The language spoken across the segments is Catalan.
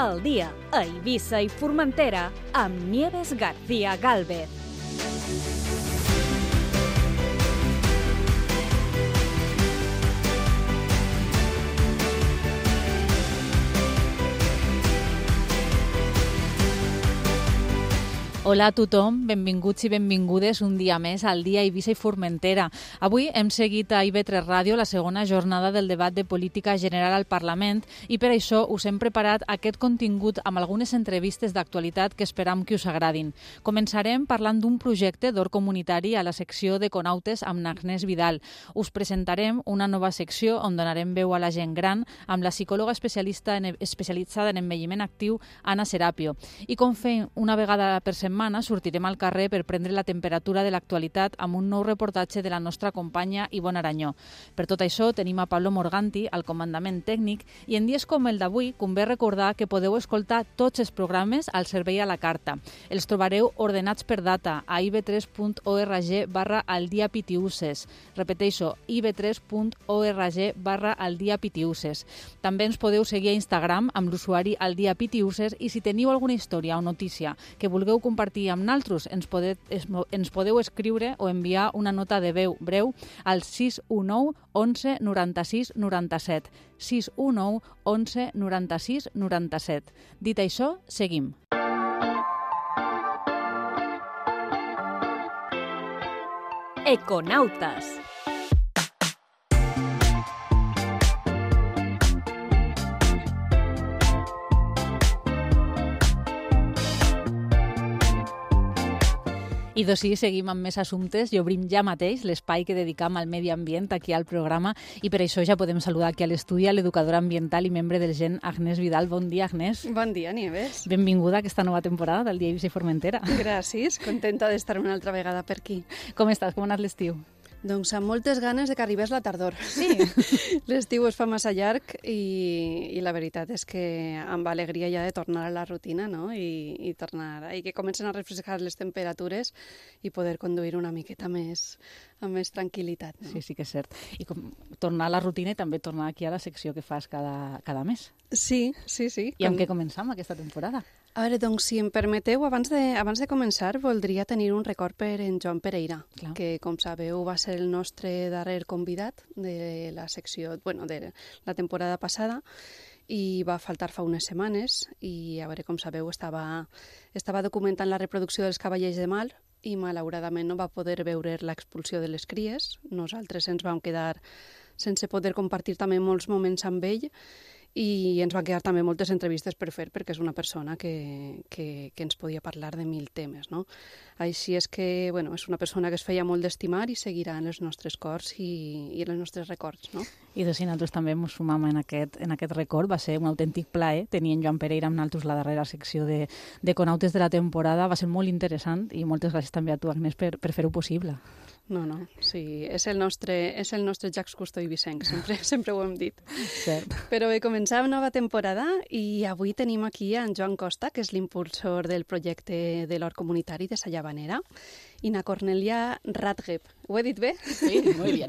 al dia a Eivissa i Formentera amb Nieves García Gálvez. Hola a tothom, benvinguts i benvingudes un dia més al dia Eivissa i Formentera. Avui hem seguit a IB3 Ràdio la segona jornada del debat de política general al Parlament i per això us hem preparat aquest contingut amb algunes entrevistes d'actualitat que esperam que us agradin. Començarem parlant d'un projecte d'or comunitari a la secció d'Econautes amb Agnès Vidal. Us presentarem una nova secció on donarem veu a la gent gran amb la psicòloga especialitzada en envelliment actiu, Anna Serapio. I com fem una vegada per setmana, sortirem al carrer per prendre la temperatura de l'actualitat amb un nou reportatge de la nostra companya Ivonne Aranyó. Per tot això, tenim a Pablo Morganti al comandament tècnic i en dies com el d'avui convé recordar que podeu escoltar tots els programes al servei a la carta. Els trobareu ordenats per data a ib3.org/aldiapitiuses. Repeteixo, ib3.org/aldiapitiuses. També ens podeu seguir a Instagram amb l'usuari aldiapitiuses i si teniu alguna història o notícia que vulgueu compartir amb naltros, ens podeu escriure o enviar una nota de veu breu al 619 11 96 97. 619 11 96 97. Dit això, seguim. Econautes. I d'ací seguim amb més assumptes i obrim ja mateix l'espai que dedicam al medi ambient aquí al programa i per això ja podem saludar aquí a l'estudi a l'educadora ambiental i membre del GEN, Agnès Vidal. Bon dia, Agnès. Bon dia, Nieves. Benvinguda a aquesta nova temporada del dia Eivissa i Formentera. Gràcies, contenta d'estar una altra vegada per aquí. Com estàs? Com ha anat l'estiu? Doncs amb moltes ganes de que arribés la tardor. Sí. L'estiu es fa massa llarg i la veritat és que amb alegria ja de tornar a la rutina, no? I que comencen a refrescar les temperatures i poder conduir una miqueta més amb més tranquil·litat. No? Sí que és cert. I tornar a la rutina i també tornar aquí a la secció que fas cada mes. Sí. I amb què començam aquesta temporada? A veure, doncs, si em permeteu, abans de començar, voldria tenir un record per en Joan Pereira, Clar. que, com sabeu, va ser el nostre darrer convidat de la secció, de la temporada passada, i va faltar fa unes setmanes, i, a veure, com sabeu, estava documentant la reproducció dels cavallers de Mal, i malauradament no va poder veure l'expulsió de les cries. Nosaltres ens vam quedar sense poder compartir també molts moments amb ell, i ens van quedar també moltes entrevistes per fer perquè és una persona que ens podia parlar de 1000 temes, no? Així és que, bueno, és una persona que es feia molt d'estimar i seguirà en els nostres cors i en els nostres records, no? I doncs nosaltres també ens sumam en aquest record. Va ser un autèntic plaer tenir en Joan Pereira amb nosaltres la darrera secció d'Econautes de la temporada. Va ser molt interessant i moltes gràcies també a tu, Agnès, per fer-ho possible. No, sí, és el nostre Jacques Cousteau i Vicenç, sempre ho hem dit. Cert. Però bé, començàvem nova temporada i avui tenim aquí en Joan Costa, que és l'impulsor del projecte de l'Hort Comunitari de Sa Llavanera, i na Cornelia Radgeb. Ho he dit bé? Sí, molt bé.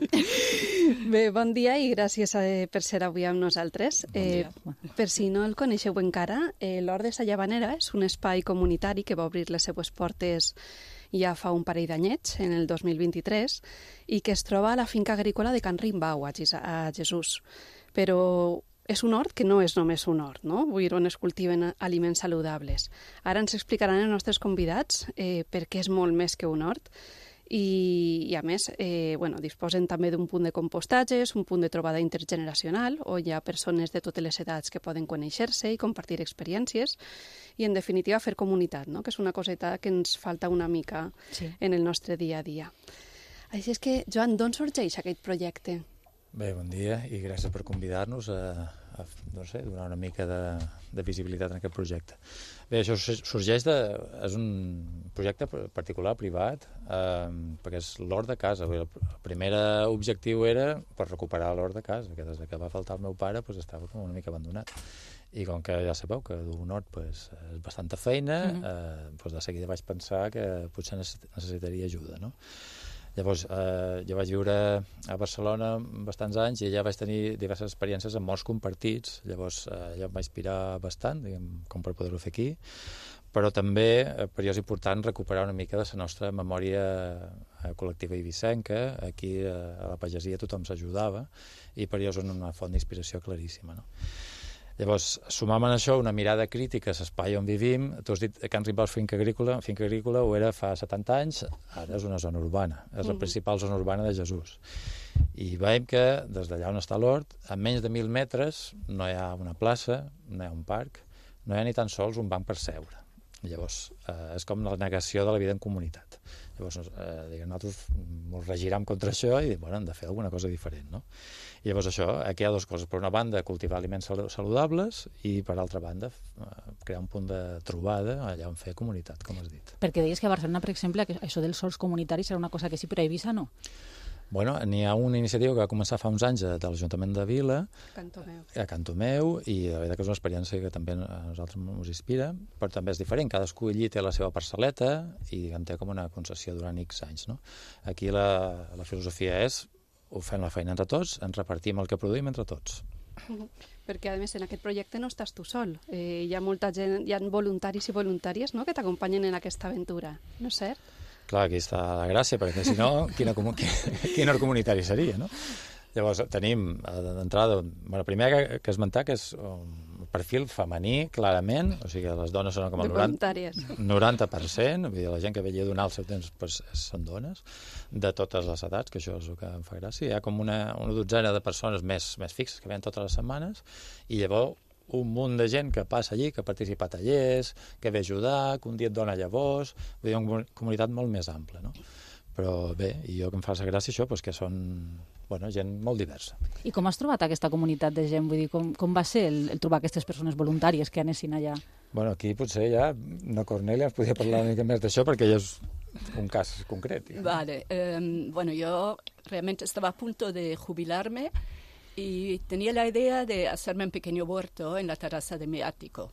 Bé, bon dia i gràcies per ser avui amb nosaltres. Bon dia. Per si no el coneixeu encara, l'Hort de Sa Llavanera és un espai comunitari que va obrir les seues portes ja fa un parell d'anyets, en el 2023, i que es troba a la finca agrícola de Can Rimbau, a Jesús. Però és un hort que no és només un hort, no? Vull dir, on es cultiven aliments saludables. Ara ens explicaran els nostres convidats per què és molt més que un hort, i a més, disposen també d'un punt de compostatges, un punt de trobada intergeneracional, on hi ha persones de totes les edats que poden conèixer-se i compartir experiències, i en definitiva fer comunitat, no? Que és una coseta que ens falta una mica en el nostre dia a dia. Així és que, Joan, d'on sorgeix aquest projecte? Bé, bon dia i gràcies per convidar-nos a donar una mica de visibilitat en aquest projecte. Bé, això sorgeix és un projecte particular, privat, perquè és l'hort de casa. El primer objectiu era per recuperar l'hort de casa, que des que va faltar el meu pare estava una mica abandonat. I com que ja sabeu que d'un hort és bastanta feina, de seguida vaig pensar que potser necessitaria ajuda, no? Llavors, jo vaig viure a Barcelona bastants anys i allà vaig tenir diverses experiències amb morts compartits. Llavors, allò em va inspirar bastant, diguem, com per poder-ho fer aquí. Però també, per jo és important recuperar una mica de la nostra memòria col·lectiva eivissenca. Aquí, a la pagesia, tothom s'ajudava i per jo és una font d'inspiració claríssima, no? Llavors, sumant a això una mirada crítica a l'espai on vivim. Tu has dit que Can Rimbau és finca agrícola ho era fa 70 anys, ara és una zona urbana, és la principal zona urbana de Jesús. I veiem que des d'allà on està l'hort, a menys de 1.000 metres no hi ha una plaça, no hi ha un parc, no hi ha ni tan sols un banc per seure. Llavors, és com la negació de la vida en comunitat. Llavors, nosaltres ens regirem contra això i bueno, hem de fer alguna cosa diferent, no? I llavors això, aquí hi ha dues coses. Per una banda, cultivar aliments saludables i, per altra banda, crear un punt de trobada allà on fer comunitat, com has dit. Perquè deies que a Barcelona, per exemple, que això dels sols comunitaris era una cosa que sí, però a Eivissa no. Bueno, n'hi ha una iniciativa que va començar fa uns anys de l'Ajuntament de Vila, a Cantomeu, i la veritat que és una experiència que també a nosaltres ens inspira, però també és diferent. Cadascú allí té la seva parcel·leta i en té com una concessió durant X anys, no? Aquí la filosofia és ho fem la feina entre tots, ens repartim el que produïm entre tots. Perquè, a més, en aquest projecte no estàs tu sol. Hi ha molta gent, hi ha voluntaris i voluntàries, no?, que t'acompanyen en aquesta aventura, no és cert? Clar, aquí està la gràcia, perquè si no, quin art comunitari seria, no? Llavors, tenim d'entrada, bueno, primer que esmentar que és un perfil femení, clarament, o sigui, les dones són com el 90%, vull dir, la gent que veia donar el seu temps pues, són dones, de totes les edats, que això és el que em fa gràcia. Hi ha com una dotzena de persones més fixes que venen totes les setmanes, i llavors un munt de gent que passa allí, que participa a tallers, que ve a ajudar, que un dia et dona llavors, vull dir, una comunitat molt més ampla, no? Però bé, i jo que em fa la gràcia això, doncs que són gent molt diversa. I com has trobat aquesta comunitat de gent? Vull dir, com va ser el trobar aquestes persones voluntàries que anessin allà? Bueno, aquí potser ja, no Cornelia, ens podria parlar una mica més d'això, perquè ja és un cas concret. Vale, bueno, yo realmente estaba a punto de jubilarme y tenía la idea de hacerme un pequeño huerto en la terraza de mi ático.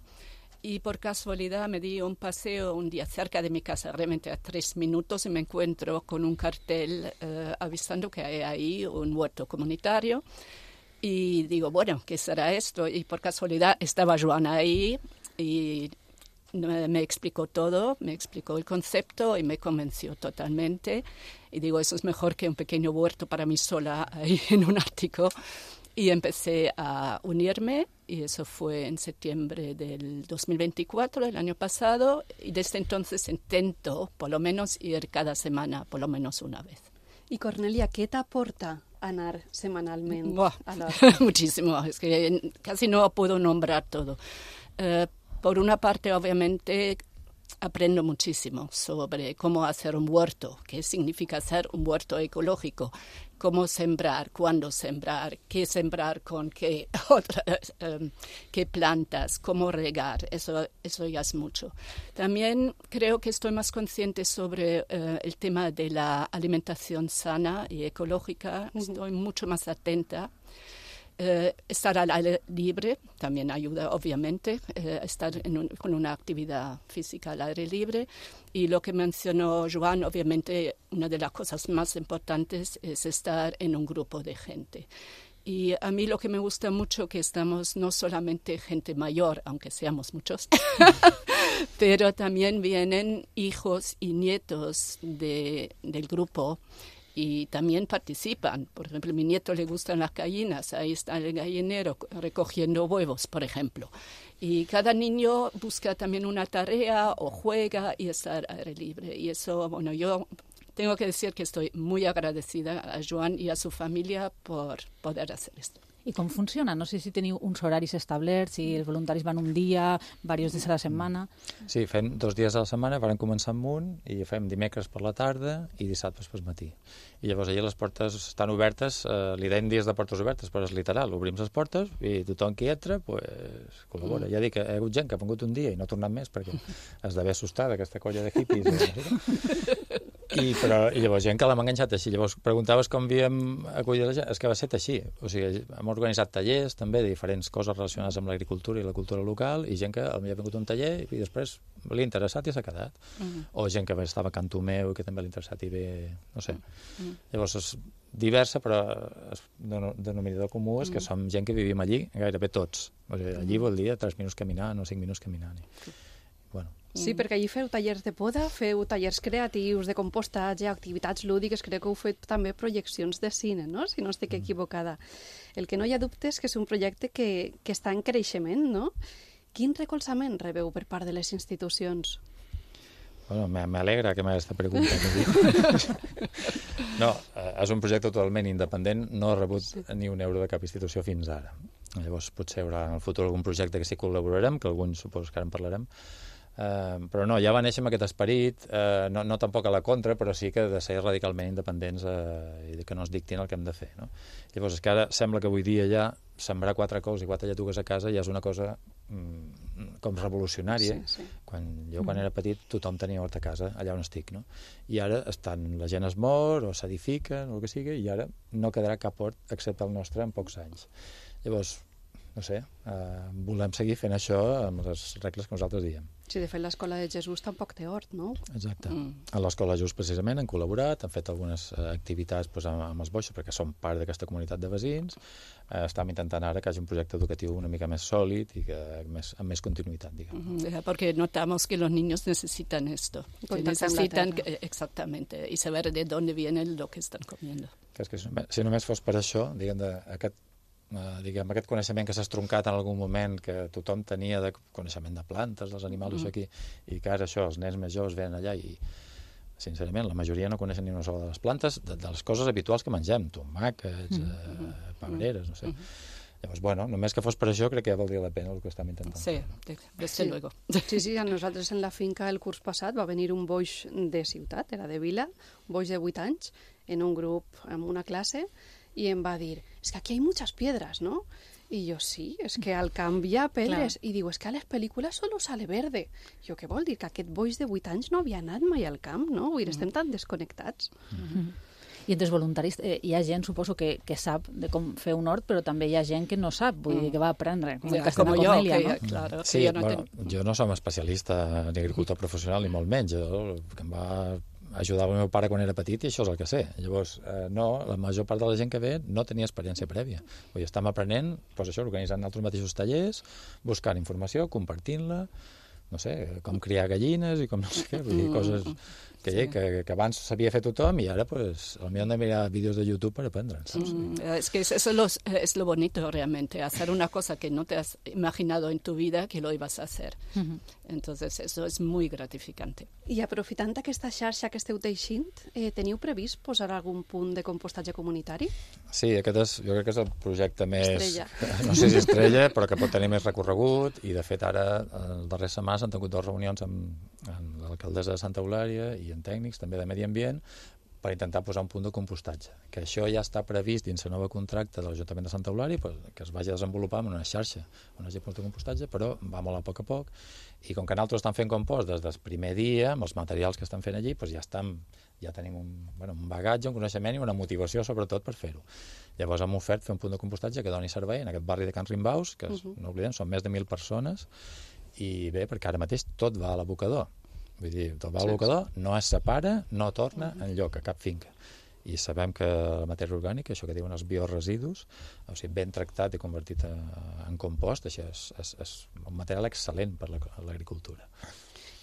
Y por casualidad me di un paseo un día cerca de mi casa, realmente a 3 minutos, y me encuentro con un cartel avisando que hay ahí un huerto comunitario. Y digo, bueno, ¿qué será esto? Y por casualidad estaba Joan ahí y me explicó todo, me explicó el concepto y me convenció totalmente. Y digo, eso es mejor que un pequeño huerto para mí sola ahí en un ático. Y empecé a unirme, y eso fue en septiembre del 2024, el año pasado, y desde entonces intento por lo menos ir cada semana, por lo menos una vez. Y Cornelia, ¿qué te aporta anar semanalmente? Muchísimo, es que casi no puedo nombrar todo. Por una parte, obviamente, aprendo muchísimo sobre cómo hacer un huerto, qué significa hacer un huerto ecológico, cómo sembrar, cuándo sembrar, qué sembrar con qué plantas, cómo regar, eso ya es mucho. También creo que estoy más consciente sobre el tema de la alimentación sana y ecológica, estoy mucho más atenta. Estar al aire libre también ayuda, obviamente, estar con una actividad física al aire libre. Y lo que mencionó Joan, obviamente, una de las cosas más importantes es estar en un grupo de gente. Y a mí lo que me gusta mucho que estamos no solamente gente mayor, aunque seamos muchos, pero también vienen hijos y nietos del grupo. Y también participan. Por ejemplo, a mi nieto le gustan las gallinas, ahí está el gallinero recogiendo huevos, por ejemplo. Y cada niño busca también una tarea o juega y está al aire libre. Y eso, bueno, yo tengo que decir que estoy muy agradecida a Joan y a su familia por poder hacer esto. I com funciona? No sé si teniu uns horaris establerts, si els voluntaris van un dia, diversos dies a la setmana. Sí, fem 2 dies a la setmana, vam començar amb un, i fem dimecres per la tarda i dissabtes per matí. I llavors allà les portes estan obertes, li deim dies de portes obertes, però és literal, obrim les portes i tothom que hi entra, pues, col·labora. Ja dic que hi ha hagut gent que ha vengut un dia i no ha tornat més perquè has d'haver assustat aquesta colla de hippies. I llavors gent que l'hem enganxat així. Llavors preguntaves com havíem acollit la gent, és que va ser així. O sigui, hem organitzat tallers també de diferents coses relacionades amb l'agricultura i la cultura local, i gent que potser ha vingut a un taller i després l'ha interessat i s'ha quedat. O gent que estava a Can Tomeu i que també l'ha interessat i ve, no sé. Llavors és diversa, però el denominador comú és que som gent que vivim allí, gairebé tots. O sigui, allí vol dir 3 minuts caminant o 5 minuts caminant. Bueno. Sí, perquè allí feu tallers de poda, feu tallers creatius, de compostatge, activitats lúdiques, crec que heu fet també projeccions de cine, no?, si no estic equivocada. El que no hi ha dubte és que és un projecte que està en creixement, no? Quin recolzament rebeu per part de les institucions? Bueno, m'alegra que m'hagués aquesta pregunta. No, és un projecte totalment independent, no ha rebut ni un euro de cap institució fins ara. Llavors potser hi haurà en el futur algun projecte que sí col·laborarem, que alguns suposo que ara en parlarem, però no, ja va néixer amb aquest esperit, no tampoc a la contra, però sí que de ser radicalment independents i que no ens dictin el que hem de fer, no? Llavors és que ara sembla que avui dia ja sembrar 4 cols i 4 lletugues a casa ja és una cosa com revolucionària. Quan era petit tothom tenia hort a casa, allà on estic, no? I ara la gent es mor o s'edifica, o el que sigui, i ara no quedarà cap hort excepte el nostre en pocs anys. Llavors, no sé, volem seguir fent això amb les regles que nosaltres diem. Sí, de fet, l'Escola de Jesús tampoc té hort, no? Exacte. A l'Escola de Jesús, precisament, han col·laborat, han fet algunes activitats amb els boixos, perquè som part d'aquesta comunitat de veïns. Estem intentant ara que hi hagi un projecte educatiu una mica més sòlid i amb més continuïtat, diguem. Porque notamos que los niños necesitan esto. Necesitan, exactamente, y saber de dónde viene lo que están comiendo. Si només fos per això, diguem, aquest coneixement que s'ha estroncat en algun moment, que tothom tenia de coneixement de plantes, dels animals, això aquí, i que ara això, els nens més joves venen allà i, sincerament, la majoria no coneixen ni una sola de les plantes, de les coses habituals que mengem, tomàquets, pebreres, no sé. Llavors, bueno, només que fos per això crec que ja valdria la pena el que estem intentant. Sí, desde luego. Sí, a nosaltres en la finca el curs passat va venir un boix de ciutat, era de Vila, un boix de 8 anys, en un grup, en una classe, i em va dir, es que aquí hay muchas piedras, ¿no? Y yo, sí, es que al camp hi ha pedres. I diu, es que a les pel·lícules solo sale verde. Jo, què vol dir? Que aquest boix de 8 anys no havia anat mai al camp, no? Vull dir, estem tan desconnectats. I entre els voluntaris hi ha gent, suposo, que sap de com fer un hort, però també hi ha gent que no sap, vull dir, que va aprendre. Com jo, claro. Sí, jo no som especialista ni agricultor professional, ni molt menys. Que em va ajudar el meu pare quan era petit i això és el que sé. Llavors, no, la major part de la gent que ve no tenia experiència prèvia. Vull dir, estem aprenent, doncs això, organitzant altres mateixos tallers, buscant informació, compartint-la, no sé, com criar gallines i com no sé què, vull dir, coses que abans sabia fer tothom i ara, pues, potser hem de mirar vídeos de YouTube per aprendre. Es que eso es lo bonito realmente, hacer una cosa que no te has imaginado en tu vida que lo ibas a hacer. Entonces, eso es muy gratificante. I aprofitant aquesta xarxa que esteu teixint, teniu previst posar algun punt de compostatge comunitari? Sí, jo crec que és el projecte més... Estrella. No sé si estrella, però que pot tenir més recorregut, i de fet ara, el darrer setmana, s'han tingut 2 reunions amb l'alcaldessa de Santa Eulària i amb tècnics també de Medi Ambient per intentar posar un punt de compostatge, que això ja està previst dins el nou contracte de l'Ajuntament de Santa Eulària, que es vagi desenvolupar en una xarxa on hi hagi punts de compostatge, però va molt a poc, i com que nosaltres estem fent compost des del primer dia, amb els materials que estan fent allí, doncs ja tenim un bagatge, un coneixement i una motivació sobretot per fer-ho. Llavors hem ofert fer un punt de compostatge que doni servei en aquest barri de Can Rimbaus, que no oblidem, són més de 1.000 persones, i bé, perquè ara mateix tot va a l'abocador. Vull dir, tot va a l'abocador, no es separa, no torna enlloc, a cap finca. I sabem que la matèria orgànica, això que diuen els bioresidus, o sigui, ben tractat i convertit en compost, això és un material excel·lent per a l'agricultura.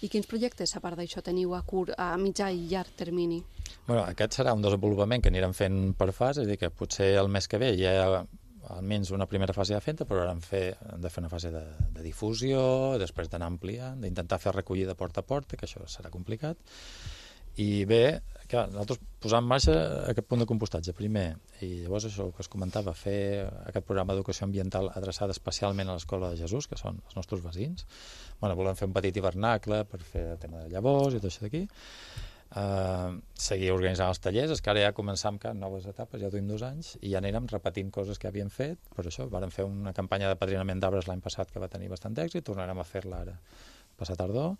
I quins projectes, a part d'això, teniu a mitjà i llarg termini? Bueno, aquest serà un desenvolupament que anirem fent per fase, és a dir, que potser el mes que ve ja almenys una primera fase de fenta, però ara hem de fer una fase de difusió, després d'anar ampliant, d'intentar fer recollida porta a porta, que això serà complicat. I bé, clar, nosaltres posar en marxa aquest punt de compostatge primer, i llavors això que es comentava, fer aquest programa d'educació ambiental adreçat especialment a l'Escola de Jesús, que són els nostres veïns. Volem fer un petit hivernacle per fer el tema de llavors i tot això d'aquí. Seguir organitzant els tallers, és que ara ja començam noves etapes, ja duim 2 anys i ja anirem repetint coses que havíem fet. Per això vàrem fer una campanya de padrinament d'arbres l'any passat que va tenir bastant d'èxit, tornarem a fer-la ara passat tardor.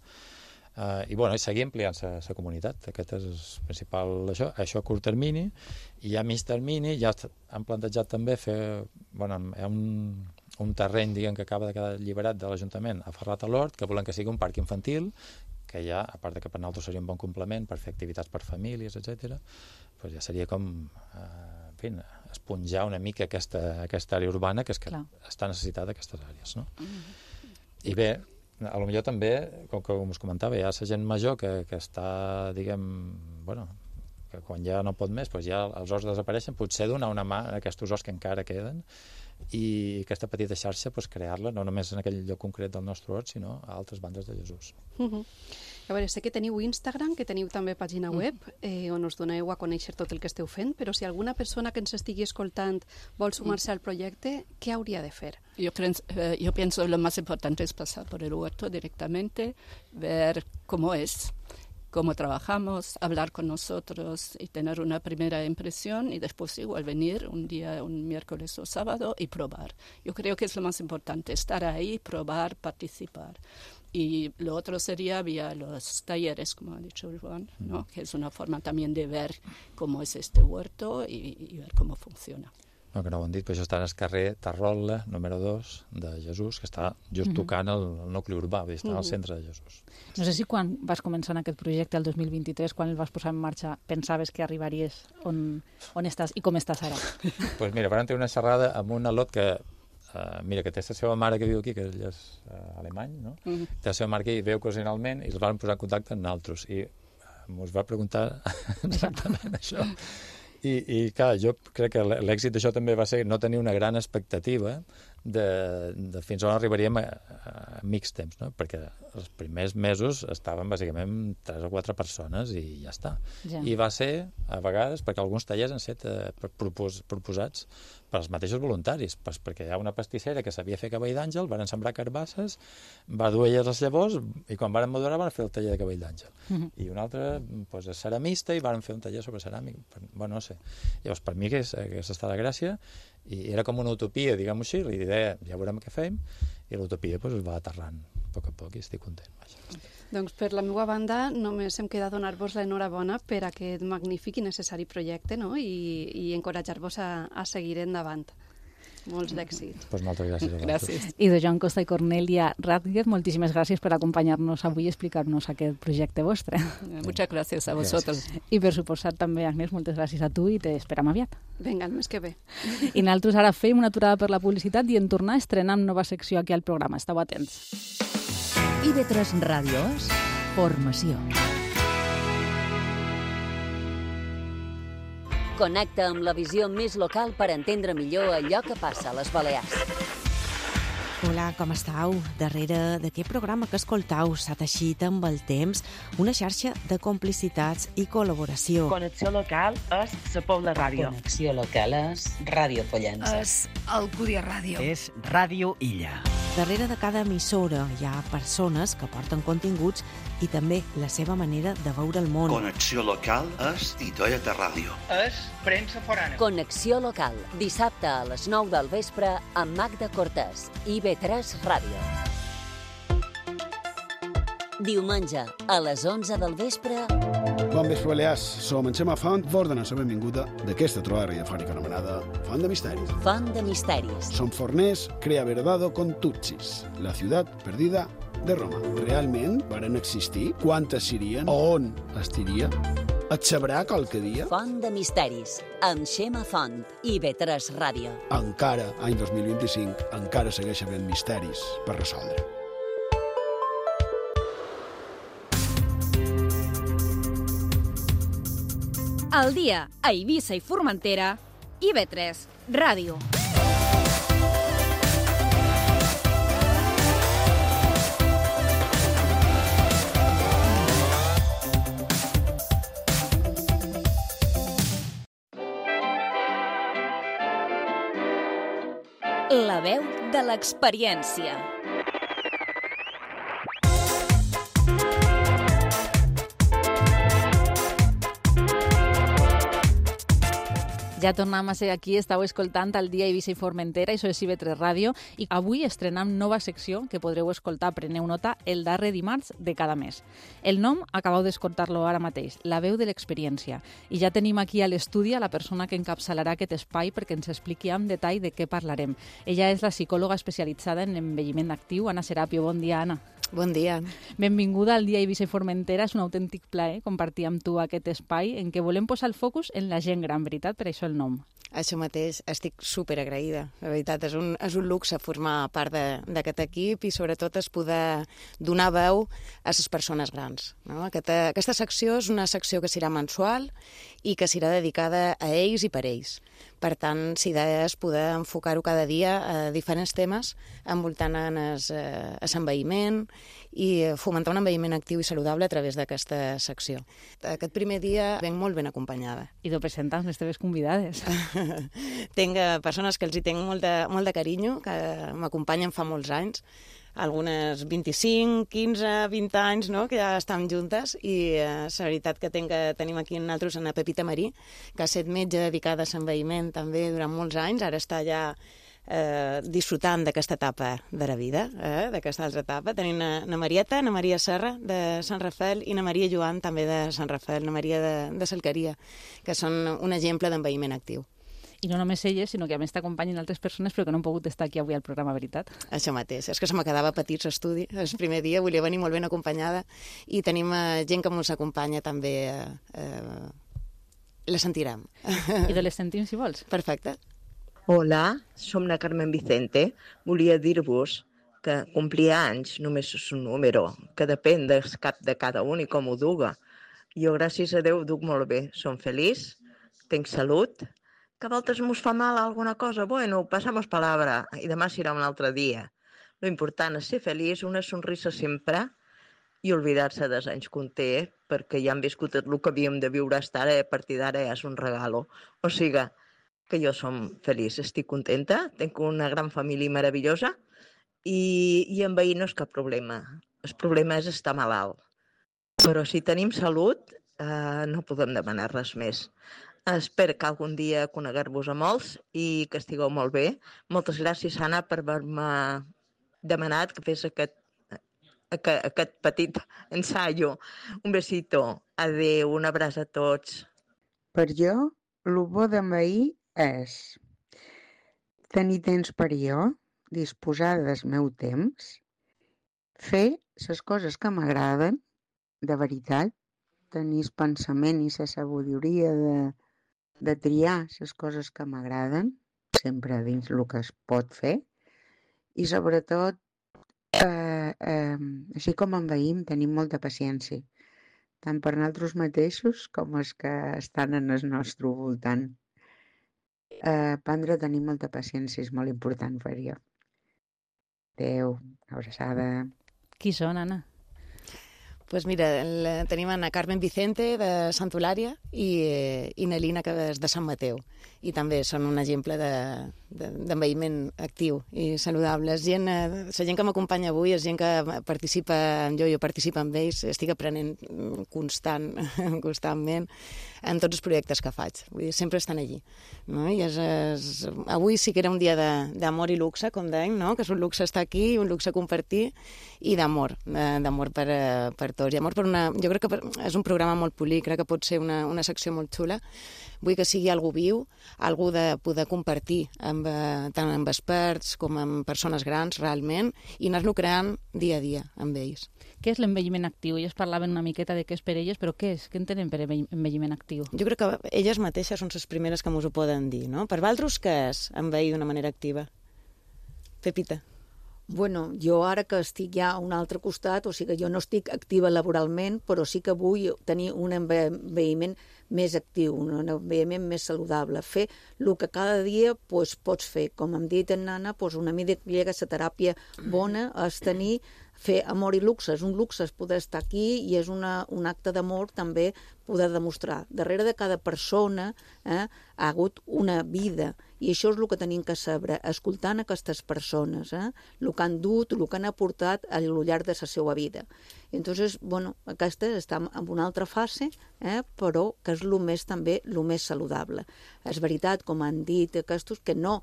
I seguir ampliant la comunitat. Aquest és el principal, això a curt termini, i a mig termini ja han plantejat també fer, un terreny, que acaba de quedar alliberat de l'Ajuntament a Ferrat a l'Hort, que volen que sigui un parc infantil, que ja, a part que per nosaltres seria un bon complement per fer activitats per famílies, etc., doncs ja seria com, esponjar una mica aquesta àrea urbana, que és que està necessitada aquestes àrees, no? I bé, a lo millor també, com us comentava, hi ha la gent major que està, que quan ja no pot més, doncs ja els horts desapareixen, potser donar una mà a aquests horts que encara queden, i aquesta petita xarxa, crear-la no només en aquell lloc concret del nostre hort, sinó a altres bandes de Jesús. A veure, sé que teniu Instagram, que teniu també pàgina web, on us doneu a conèixer tot el que esteu fent, però si alguna persona que ens estigui escoltant vol sumar-se al projecte, ¿qué habría de hacer? Yo pienso que lo más importante es pasar por el huerto directamente, ver cómo es, cómo trabajamos, hablar con nosotros y tener una primera impresión, y después igual venir un día, un miércoles o sábado, y probar. Yo creo que es lo más importante, estar ahí, probar, participar. Y lo otro sería vía los talleres, como ha dicho Joan, ¿no? Que es una forma también de ver cómo es este huerto y ver cómo funciona. No, que no ho han dit, però això està en el carrer Tarrola, número 2, de Jesús, que està just tocant el nucli urbà, vull dir, està al centre de Jesús. No sé si quan vas començar en aquest projecte, el 2023, quan el vas posar en marxa, pensaves que arribaries on estàs i com estàs ara? Doncs mira, vam tenir una xerrada amb un al·lot que que té la seva mare que viu aquí, que ell és alemany, no? Té la seva mare que hi ve ocasionalment, i els vam posar en contacte amb nosaltres, i ens va preguntar exactament això. I clar, jo crec que l'èxit d'això també va ser no tenir una gran expectativa de fins on arribaríem a mig temps, no? Perquè els primers mesos estaven bàsicament 3 o 4 persones i ja està. Ja. I va ser, a vegades, perquè alguns tallers han estat proposats per als mateixos voluntaris, perquè hi ha una pastissera que sabia fer cabell d'àngel, van sembrar carbasses, va dur elles les llavors, i quan van madurar van fer el taller de cabell d'àngel. I un altre és ceramista, i van fer un taller sobre ceràmic. Bueno, no sé. Llavors, per mi aquesta està la gràcia, i era com una utopia, diguem-ho així, l'idea, ja veurem què fem, i l'utopia es va aterrant a poc a poc, i estic content. Doncs per la meva banda només em queda donar-vos l'enhorabona per aquest magnífic i necessari projecte, no? I encoratjar-vos a seguir endavant. Molts d'èxit. Pues moltes gràcies a vosaltres. I de Joan Costa i Cornelia Rátguez, moltíssimes gràcies per acompanyar-nos avui i explicar-nos aquest projecte vostre. Muchas gracias a vosotros. I per suposat també, Agnès, moltes gràcies a tu i t'esperam aviat. Vinga, el mes que ve. I nosaltres ara fem una aturada per la publicitat i en tornar estrenem nova secció aquí al programa. Esteu atents. IB3 Ràdio és formació. Connecta amb la visió més local per entendre millor allò que passa a les Balears. Hola, com estàu? Darrere d'aquest programa que escoltau s'ha teixit amb el temps una xarxa de complicitats i col·laboració. Connexió local és la Pobla Ràdio. Connexió local és Ràdio Pollença. És Alcúdia Ràdio. És Ràdio Illa. Darrere de cada emissora hi ha persones que porten continguts i també la seva manera de veure el món. Connexió local és Titoieta Ràdio. És premsa forana. Connexió local, dissabte a les 9 del vespre amb Magda Cortés, IB3 Ràdio. Diumenge, a les 11 del vespre... Bon vespre, Balears. Som en Xema Font, vos donem la benvinguda d'aquesta trobada radiofònica anomenada Font de Misteris. Font de Misteris. Som forners, crea verdado con Tutsis, la ciutat perdida de Roma. Realment varen existir? Quantes serien? On estiria? Et sabrà qualque dia? Font de Misteris, amb Xema Font, IB3 Ràdio. Encara, any 2025, encara segueix havent misteris per resoldre. Al dia, a Eivissa i Formentera, IB3 Ràdio. La veu de l'experiència. Ja tornem a ser aquí, estàu escoltant el Dia Eivissa i Formentera, això és IB3 Ràdio, i avui estrenem nova secció que podreu escoltar, preneu nota, el darrer dimarts de cada mes. El nom, acabeu d'escoltar-lo ara mateix, la veu de l'experiència. I ja tenim aquí a l'estudi a la persona que encapçalarà aquest espai perquè ens expliqui amb detall de què parlarem. Ella és la psicòloga especialitzada en envelliment actiu, Anna Serapio. Bon dia, Anna. Bon dia. Benvinguda al Dia Eivissa i Formentera. És un autèntic plaer compartir amb tu aquest espai en què volem posar el focus en la gent gran, veritat? Per això el nom. Això mateix, estic superagraïda. La veritat, és un luxe formar part d'aquest equip i sobretot es poder donar veu a les persones grans. No? Aquesta secció és una secció que serà mensual i que serà dedicada a ells i per ells. Per tant, l'idea és poder enfocar-ho cada dia a diferents temes envoltant l'envelliment i fomentar un envelliment actiu i saludable a través d'aquesta secció. Aquest primer dia venc molt ben acompanyada. I t'ho presentes les teves convidades. Tinc persones que els hi tinc molt de carinyo, que m'acompanyen fa molts anys, algunes 25, 15, 20 anys, no?, que ja estan juntes, i la veritat que tenim aquí nosaltres una Pepita Marí, que ha estat metge dedicada a l'envelliment també durant molts anys, ara està ja disfrutant d'aquesta etapa de la vida, d'aquesta altra etapa. Tenim na Marieta, na Maria Serra, de Sant Rafael, i na Maria Joan, també de Sant Rafael, na Maria de Salqueria, que són un exemple d'envelliment actiu. I no només elles, sinó que a més t'acompanyen altres persones però que no han pogut estar aquí avui al programa, veritat? Això mateix. És que se me quedava petit l'estudi. El primer dia volia venir molt ben acompanyada i tenim gent que ens acompanya també. La sentirem. I de les sentim, si vols. Perfecte. Hola, som la Carmen Vicente. Volia dir-vos que complir anys només és un número, que depèn del cap de cada un i com ho duga. Jo, gràcies a Déu, duc molt bé. Som feliç, tinc salut. Que a voltes mos fa mal alguna cosa, bueno, passamos palabra i demà serà un altre dia. Lo important és ser feliç, una sonrisa sempre i oblidar-se dels anys que un té, perquè ja hem viscut el que havíem de viure fins ara, a partir d'ara és un regalo. O sigui, que jo som feliç, estic contenta, tinc una gran família meravellosa i amb veí no és cap problema. El problema és estar malalt. Però si tenim salut, no podem demanar res més. Espero que algun dia coneguer-vos a molts i que estigueu molt bé. Moltes gràcies, Anna, per haver-me demanat que fes aquest petit ensaio. Un besito. Adéu, un abraç a tots. Per jo, el bo d'enveir és tenir temps per jo, disposar del meu temps, fer les coses que m'agraden, de veritat, tenir el pensament i la sabidoria de triar les coses que m'agraden, sempre dins el que es pot fer, i sobretot, així com enveïm, tenim molta paciència, tant per nosaltres mateixos com els que estan en el nostre voltant. Aprendre a tenir molta paciència és molt important per jo. Adéu, abraçada. Qui són, Anna? Pues mira, tenim a Carmen Vicente de Sant Eulària i Nelina, que és de Sant Mateu. I també són un exemple d'envelliment actiu i saludable. La gent que m'acompanya avui és gent que participa amb jo participo amb ells, estic aprenent constantment en tots els projectes que faig. Vull dir, sempre estan allí. No? I avui sí que era un dia d'amor i luxe, com dèiem, no? Que és un luxe estar aquí, un luxe compartir, i d'amor per tots. I amor jo crec que és un programa molt polit, crec que pot ser una secció molt xula. Vull que sigui algú viu, algú de poder compartir tant amb experts com amb persones grans, realment, i anar-lo creant dia a dia amb ells. Què és l'envelliment actiu? Elles parlaven una miqueta de què és per elles, però què és? Què entenen per envelliment actiu? Jo crec que elles mateixes són les primeres que m'ho poden dir, no? Per vosaltres, què és envellir d'una manera activa? Pepita. Bueno, jo ara que estic ja a un altre costat, o sigui que jo no estic activa laboralment, però sí que vull tenir un envelliment més actiu, un envelliment més saludable, fer el que cada dia pots fer. Com hem dit en Nana, una mica la teràpia bona és fer amor i luxe. És un luxe poder estar aquí i és un acte d'amor també poder demostrar. Darrere de cada persona ha hagut una vida, i això és el que tenim que saber, escoltant aquestes persones, el que han dut, el que han aportat al llarg de la seva vida. Entonces, aquesta està en una altra fase, però que és el més saludable. És veritat, com han dit aquests, que no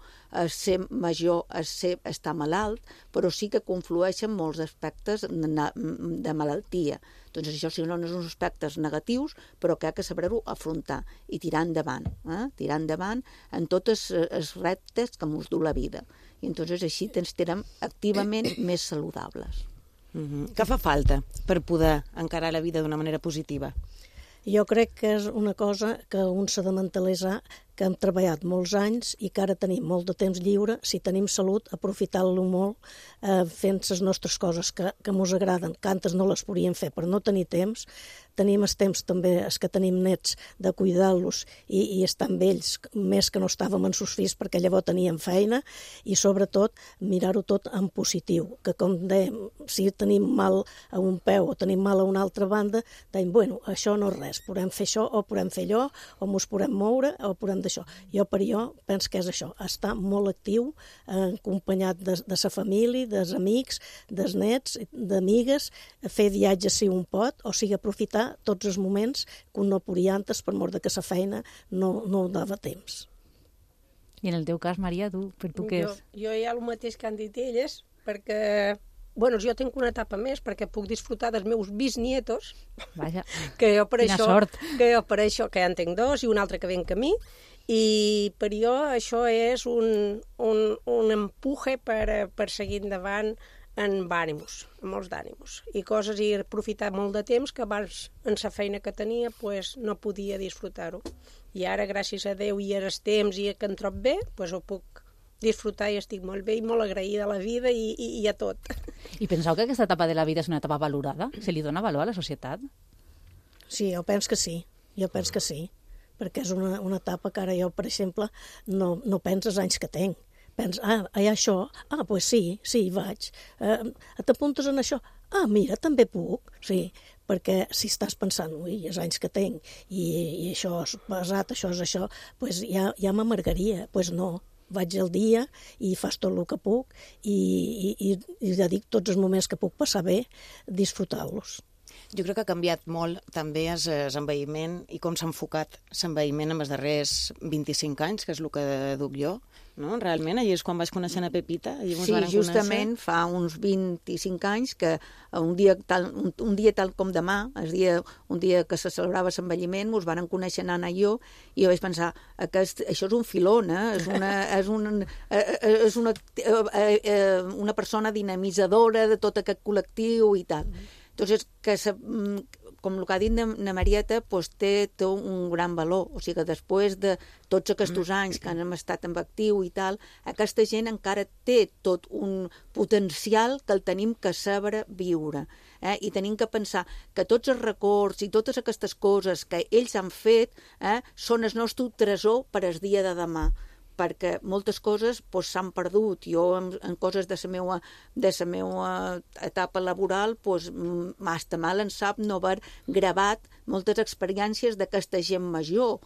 ser major és estar malalt, però sí que conflueixen molts aspectes de malaltia. Doncs això sí, no són aspectes negatius, però que ha de saber-ho afrontar i tirar endavant en tots els reptes que ens du la vida. I entonces així ens tirem activament més saludables. Què fa falta per poder encarar la vida d'una manera positiva? Jo crec que és una cosa que un s'ha de mentalitzar, que hem treballat molts anys i que ara tenim molt de temps lliure. Si tenim salut, aprofitar-lo molt fent les nostres coses que ens agraden, que antes no les podíem fer per no tenir temps. Tenim el temps també, els que tenim nets, de cuidar-los i estar amb ells, més que no estàvem amb sus fills perquè llavors teníem feina, i sobretot mirar-ho tot en positiu, que com dèiem, si tenim mal a un peu o tenim mal a una altra banda, dèiem, això no és res, podem fer això o podem fer allò, o ens podem moure o podem d'això. Jo penso que és això, estar molt actiu, acompanyat de la família, dels amics, dels nets, d'amigues, fer viatges si un pot, o sigui, aprofitar tots els moments que un no podia antes per mort que la feina no dava temps. I en el teu cas, Maria, per tu què és? Jo hi ha el mateix que han dit elles, perquè jo tinc una etapa més perquè puc disfrutar dels meus bisnietos. Vaja, quina sort. Que jo per això, que ja en tinc dos i un altre que ve en camí, i per jo això és un empuje per seguir endavant amb ànims, amb molts d'ànims, i coses, i aprofitar molt de temps que abans en la feina que tenia no podia disfrutar-ho. I ara, gràcies a Déu i als temps i que em trob bé, ho puc disfrutar i estic molt bé i molt agraïda a la vida i a tot. I penseu que aquesta etapa de la vida és una etapa valorada? Se li dona valor a la societat? Sí, jo penso que sí, perquè és una etapa que ara jo, per exemple, no penso els anys que tinc. Penso, hi ha això, doncs sí, hi vaig. T'apuntes en això? Mira, també puc, sí, perquè si estàs pensant, els anys que tinc, i això és pesat, això és això, doncs ja m'amargaria, doncs no. Vaig al dia i fas tot el que puc i dedico tots els moments que puc passar bé, disfrutar-los. Jo crec que ha canviat molt també l'envelliment i com s'ha enfocat l'envelliment en els darrers 25 anys, que és el que duc jo, no? Realment, allà és quan vaig conèixer a Pepita. Sí, justament fa uns 25 anys que un dia tal com demà, un dia que se celebrava l'envelliment, ens van conèixer Anna i jo vaig pensar, això és un filon, és una persona dinamitzadora de tot aquest col·lectiu i tal. Entonces, com el que ha dit na Marieta, té un gran valor. O sigui que després de tots aquests anys que hem estat en actiu i tal, aquesta gent encara té tot un potencial que el tenim que saber viure. I tenim que pensar que tots els records i totes aquestes coses que ells han fet són el nostre tresor per al dia de demà, perquè moltes coses s'han perdut. Jo, en coses de la meva etapa laboral, m'està mal en sap no haver gravat moltes experiències d'aquesta gent major,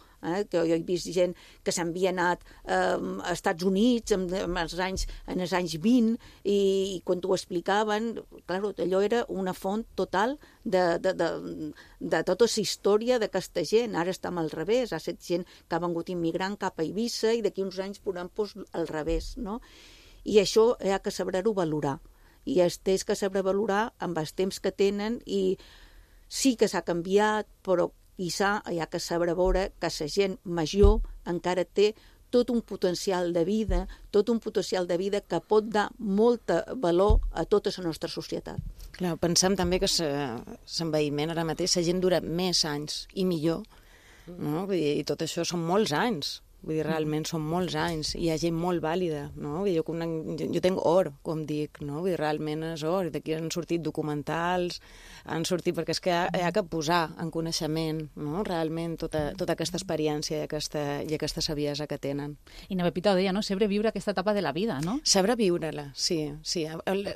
que jo he vist gent que s'havia anat a Estats Units en els anys 20 i quan t'ho explicaven, clar, allò era una font total de tota la història d'aquesta gent. Ara estem al revés, ha estat gent que ha vengut immigrant cap a Eivissa i d'aquí uns anys podem al revés, no? I això hi ha que saber-ho valorar, i es té que saber valorar amb els temps que tenen, i sí que s'ha canviat, però quizà hi ha que saber veure que la gent major encara té tot un potencial de vida, que pot dar molt valor a tota la nostra societat. Clar, pensem també que l'envelliment ara mateix la gent dura més anys i millor, no? I tot això són molts anys. Vull dir, realment són molts anys, i hi ha gent molt vàlida, no? Vull dir, jo tenc or, com dic, no? Vull dir, realment és or, i d'aquí han sortit documentals, han sortit, perquè és que hi ha que posar en coneixement, no? Realment tota aquesta experiència i aquesta saviesa que tenen. I na Pepita ho deia, no? Saber viure aquesta etapa de la vida, no? Saber viure-la, sí. El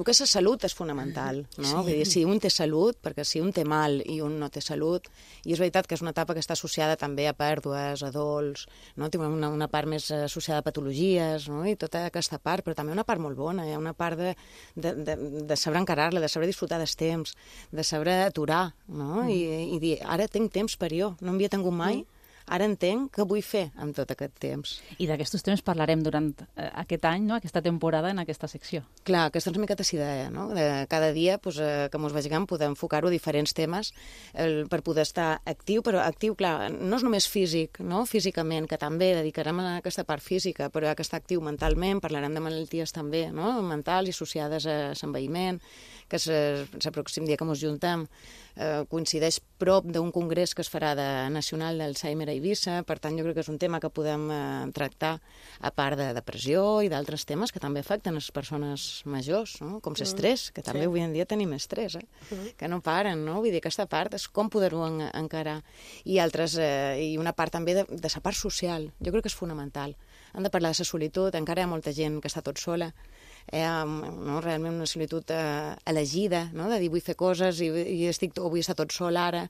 que és la salut és fonamental, no? Vull dir, si un té salut, perquè si un té mal i un no té salut, i és veritat que és una etapa que està associada també a pèrdues, a dols, no? Té una part més associada a patologies, no? I tota aquesta part, però també una part molt bona, hi ha una part de saber encarar-la, de saber disfrutar dels temps, de saber aturar, no? I dir, ara tinc temps per jo, no havia tingut mai, ara entenc què vull fer amb tot aquest temps. I d'aquests temes parlarem durant aquest any, no? Aquesta temporada, en aquesta secció. Clar, aquesta és una miqueta la idea, no? Cada dia, que mos vegem, podem enfocar-ho a diferents temes per poder estar actiu, però actiu, clar, no és només físic, no? Físicament, que també dedicarem a aquesta part física, però hi ha que estar actiu mentalment, parlarem de malalties també, no? Mentals i associades a l'envelliment, que el pròxim dia que ens juntem coincideix prop d'un congrés que es farà nacional d'Alzheimer a Eivissa, per tant jo crec que és un tema que podem tractar a part de depressió i d'altres temes que també afecten les persones majors, no? Com l'estrès, que també avui en dia tenim estrès, que no paren, no? Vull dir, aquesta part és com poder-ho encarar. I una part també de la part social, jo crec que és fonamental. Han de parlar de la solitud, encara hi ha molta gent que està tot sola, realment una solitud elegida, no? De dir vull fer coses i vull estar tot sol ara,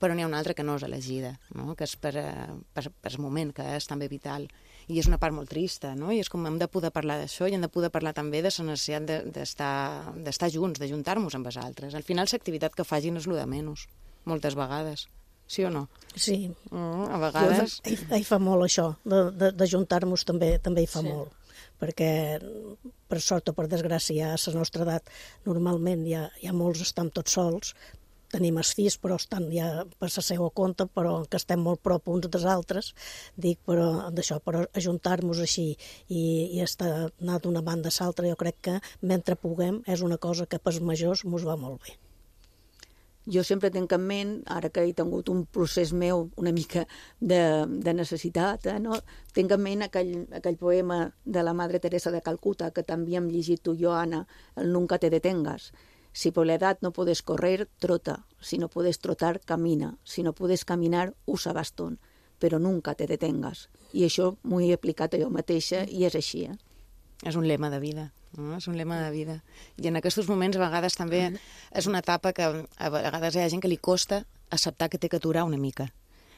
però n'hi ha una altra que no és elegida, no? Que és per el moment, que és també vital. I és una part molt trista, no? I és com hem de poder parlar d'això i hem de poder parlar també de la necessitat d'estar junts, de juntar-nos amb els altres. Al final l'activitat que facin és el de menys, moltes vegades. Sí o no? Sí. A vegades... Hi fa molt això, de juntar-nos també hi fa molt. Perquè, per sort o per desgràcia, a la nostra edat, normalment ja molts estan tots sols, tenim els fills, però estan ja per la seva compte, però que estem molt prop uns dels altres, dic, però d'això, per ajuntar-nos així i anar d'una banda a l'altra, jo crec que mentre puguem és una cosa que pels majors mos va molt bé. Jo sempre tinc en ment, ara que he tingut un procés meu una mica de necessitat, no? Tinc en ment aquell poema de la Madre Teresa de Calcuta, que també hem llegit tu i jo, Anna, el Nunca te detengas. Si por la edad no puedes correr, trota. Si no puedes trotar, camina. Si no puedes caminar, usa bastón. Però nunca te detengas. I això m'ho he aplicat a jo mateixa i és així. És un lema de vida. No? És un lema de vida. I en aquests moments, a vegades, també és una etapa que a vegades hi ha gent que li costa acceptar que té que aturar una mica.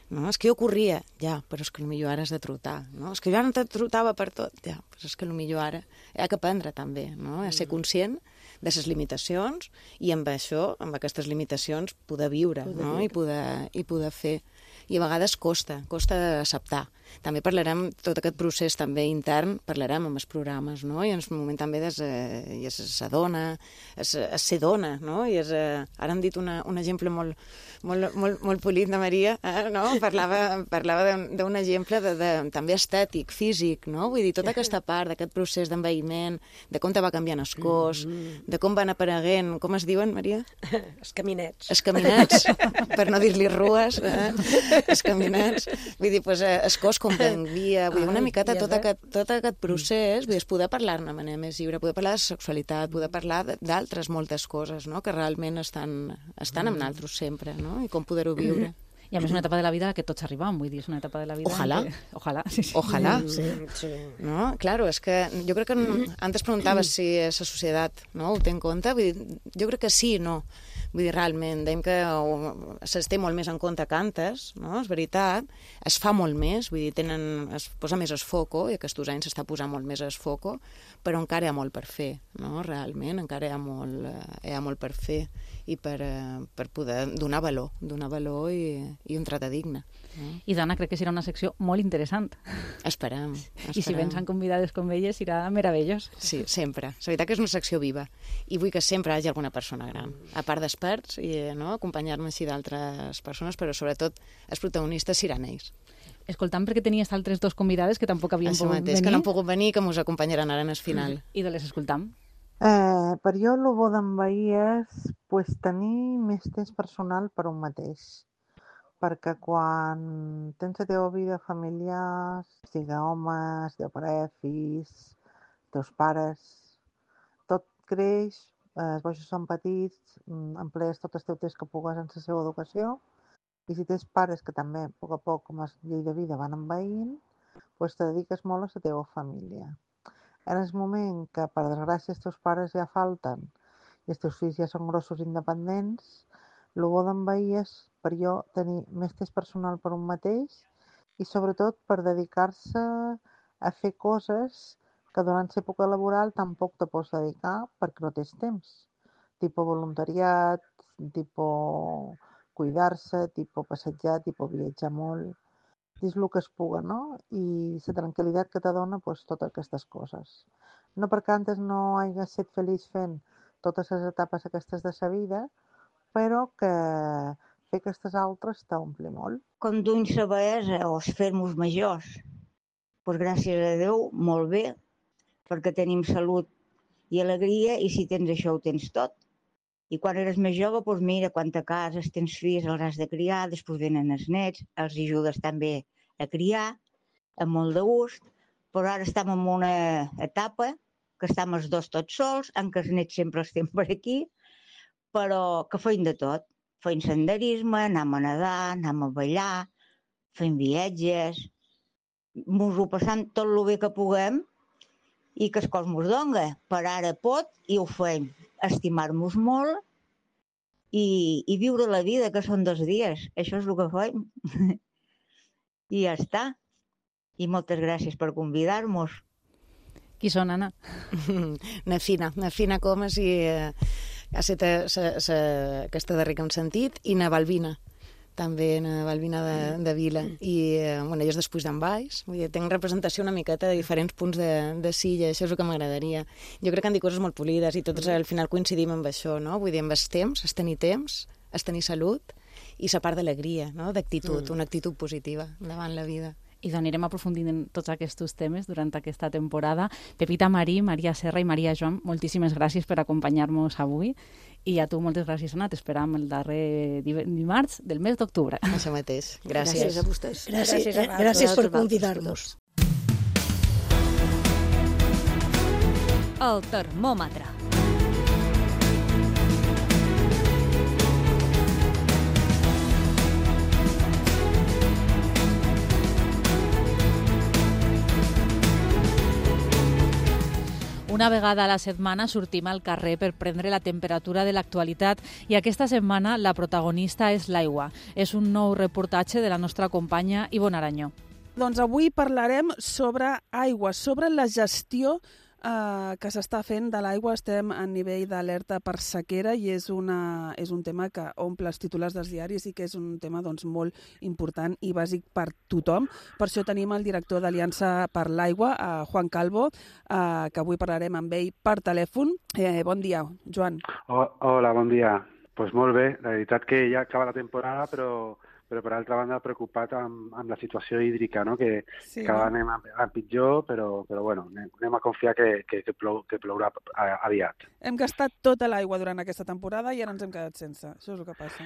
No? És que jo corria, ja, però és que potser ara has de trotar. No? És que jo ara no trotava per tot, ja, però és que potser ara hi ha que aprendre també, no? A ser conscient de les limitacions i amb això, amb aquestes limitacions, poder viure, no? I poder fer. I a vegades costa acceptar. També parlarem, tot aquest procés també intern, parlarem amb els programes, no? I en el moment també és ser dona, és ser dona, no? I ara hem dit un exemple molt polit de Maria, no? Parlava d'un exemple també estètic, físic, no? Vull dir, tota aquesta part d'aquest procés d'envelliment, de com te va canviant el cos, de com van apareguent, com es diuen, Maria? Els caminets. Els caminets, per no dir-li rues, els caminets. Vull dir, el cos com canvia, vull dir, una miqueta tot aquest procés, vull dir, poder parlar-ne de manera més lliure, poder parlar de sexualitat, poder parlar d'altres moltes coses, no?, que realment estan amb nosaltres sempre, no?, i com poder-ho viure. I a més una etapa de la vida que tots arribam, vull dir, és una etapa de la vida... Ojalà. Ojalà, sí. Ojalà. Sí. No? Claro, és que jo crec que antes preguntaves si la societat no ho té en compte, vull dir, jo crec que sí i no. Vull dir, realment, dèiem que se'ls té molt més en compte que antes, no? És veritat, es fa molt més, vull dir, es posa més el foco, i aquests anys s'està posant molt més el foco, però encara hi ha molt per fer, no? Realment, encara hi ha molt per fer i per poder donar valor i un tracte digne. No? I Dana, crec que serà una secció molt interessant. Esperem. I si vens convidades com elles, serà meravellós. Sí, sempre. La veritat que és una secció viva i vull que sempre hi hagi alguna persona gran, a part d'experts, i no? Acompanyar-me així d'altres persones, però sobretot els protagonistes seran ells. Escoltant, perquè tenies altres dos convidades que tampoc havien pogut venir. Que no han pogut venir, que ens acompanyaran ara en el final. I de les escoltam. Per jo, el bo d'envair és tenir més temps personal per un mateix. perquè quan tens la teva vida familiar, sigui homes, teu pare, fills, teus pares, tot creix, els boixos són petits, emplees tot el teu temps que pugues en la seva educació, i si tens pares que també, a poc, com a llei de vida, van envaint, doncs te dediques molt a la teva família. En el moment que, per desgràcia, els teus pares ja falten i els teus fills ja són grossos independents, el bo d'envair és, per jo, tenir més temps personal per un mateix i, sobretot, per dedicar-se a fer coses que durant l'època laboral tampoc te pots dedicar perquè no tens temps. Tipo voluntariat, tipo cuidar-se, tipo passejar, tipo viatjar molt. És el que es puga, no? I la tranquil·litat que te dona pues, totes aquestes coses. No perquè antes no hagués estat feliç fent totes les etapes aquestes de sa vida, però que fer aquestes altres t'ompli molt. Com duim la bellesa o fer-nos majors, doncs gràcies a Déu, molt bé, perquè tenim salut i alegria, i si tens això ho tens tot. I quan eres més jove, doncs mira, quan te cases, tens fills, els has de criar, després venen els nets, els ajudes també a criar, amb molt de gust, però ara estem en una etapa que estem els dos tots sols, en què els nets sempre estem per aquí, però que feim de tot. Feim senderisme, anem a nedar, anem a ballar, fem viatges, mos ho passam tot el bé que puguem i que el cos mos dona. Per ara pot i ho fem. Estimar-nos molt i viure la vida, que són 2 dies. Això és el que fem. I ja està. I moltes gràcies per convidar-nos. Qui són, Anna? Na Fina Comas i ha estat aquesta darrera que hem sentit, i na Balbina, també na Balbina de Vila. I bueno, jo és després d'en Baix, vull dir, tinc representació una miqueta de diferents punts de Silla, això és el que m'agradaria. Jo crec que han dit coses molt polides i tots al final coincidim amb això, no? Vull dir, amb el temps, és tenir salut i la part d'alegria, no? D'actitud, una actitud positiva davant la vida. I anirem aprofundint en tots aquests temes durant aquesta temporada. Pepita Marí, Maria Serra i Maria Joan, moltíssimes gràcies per acompanyar-nos avui. I a tu moltes gràcies, Anna. T'esperam el darrer dimarts del mes d'octubre. Això mateix. Gràcies. Gràcies a vostès. Gràcies per convidar-nos. El termòmetre. Una vegada a la setmana sortim al carrer per prendre la temperatura de l'actualitat i aquesta setmana la protagonista és l'aigua. És un nou reportatge de la nostra companya Ivonne Aranyó. Doncs avui parlarem sobre aigua, sobre la gestió que s'està fent de l'aigua. Estem a nivell d'alerta per sequera i és un tema que omple els titulars dels diaris i que és un tema doncs, molt important i bàsic per tothom. Per això tenim el director d'Aliança per l'Aigua, Juan Calvo, que avui parlarem amb ell per telèfon. Bon dia, Joan. Hola, bon dia. Pues molt bé, la veritat que ja acaba la temporada, però per altra banda preocupat amb la situació hídrica, no? que cada anem a pitjor, però bueno, anem a confiar que plourà aviat. Hem gastat tota l'aigua durant aquesta temporada i ara ens hem quedat sense. Això és el que passa.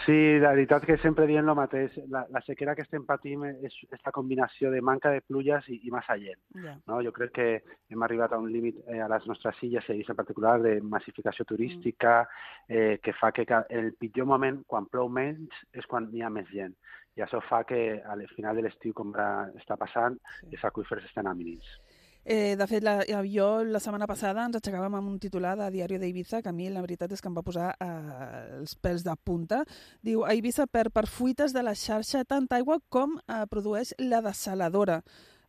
Sí, la veritat que sempre diem el mateix. La sequera que estem patint és la combinació de manca de pluges i massa gent. Yeah. No? Jo crec que hem arribat a un límit a les nostres illes, en particular, de massificació turística, que fa que el pitjor moment, quan plou menys, és quan hi ha més gent. I això fa que al final de l'estiu, com està passant, els aqüífers estan a mínims. De fet, jo la setmana passada ens aixecàvem amb un titular de Diario de Ibiza que a mi la veritat és que em va posar els pèls de punta. Diu, a Ibiza perd per fuites de la xarxa tanta aigua com produeix la dessaladora.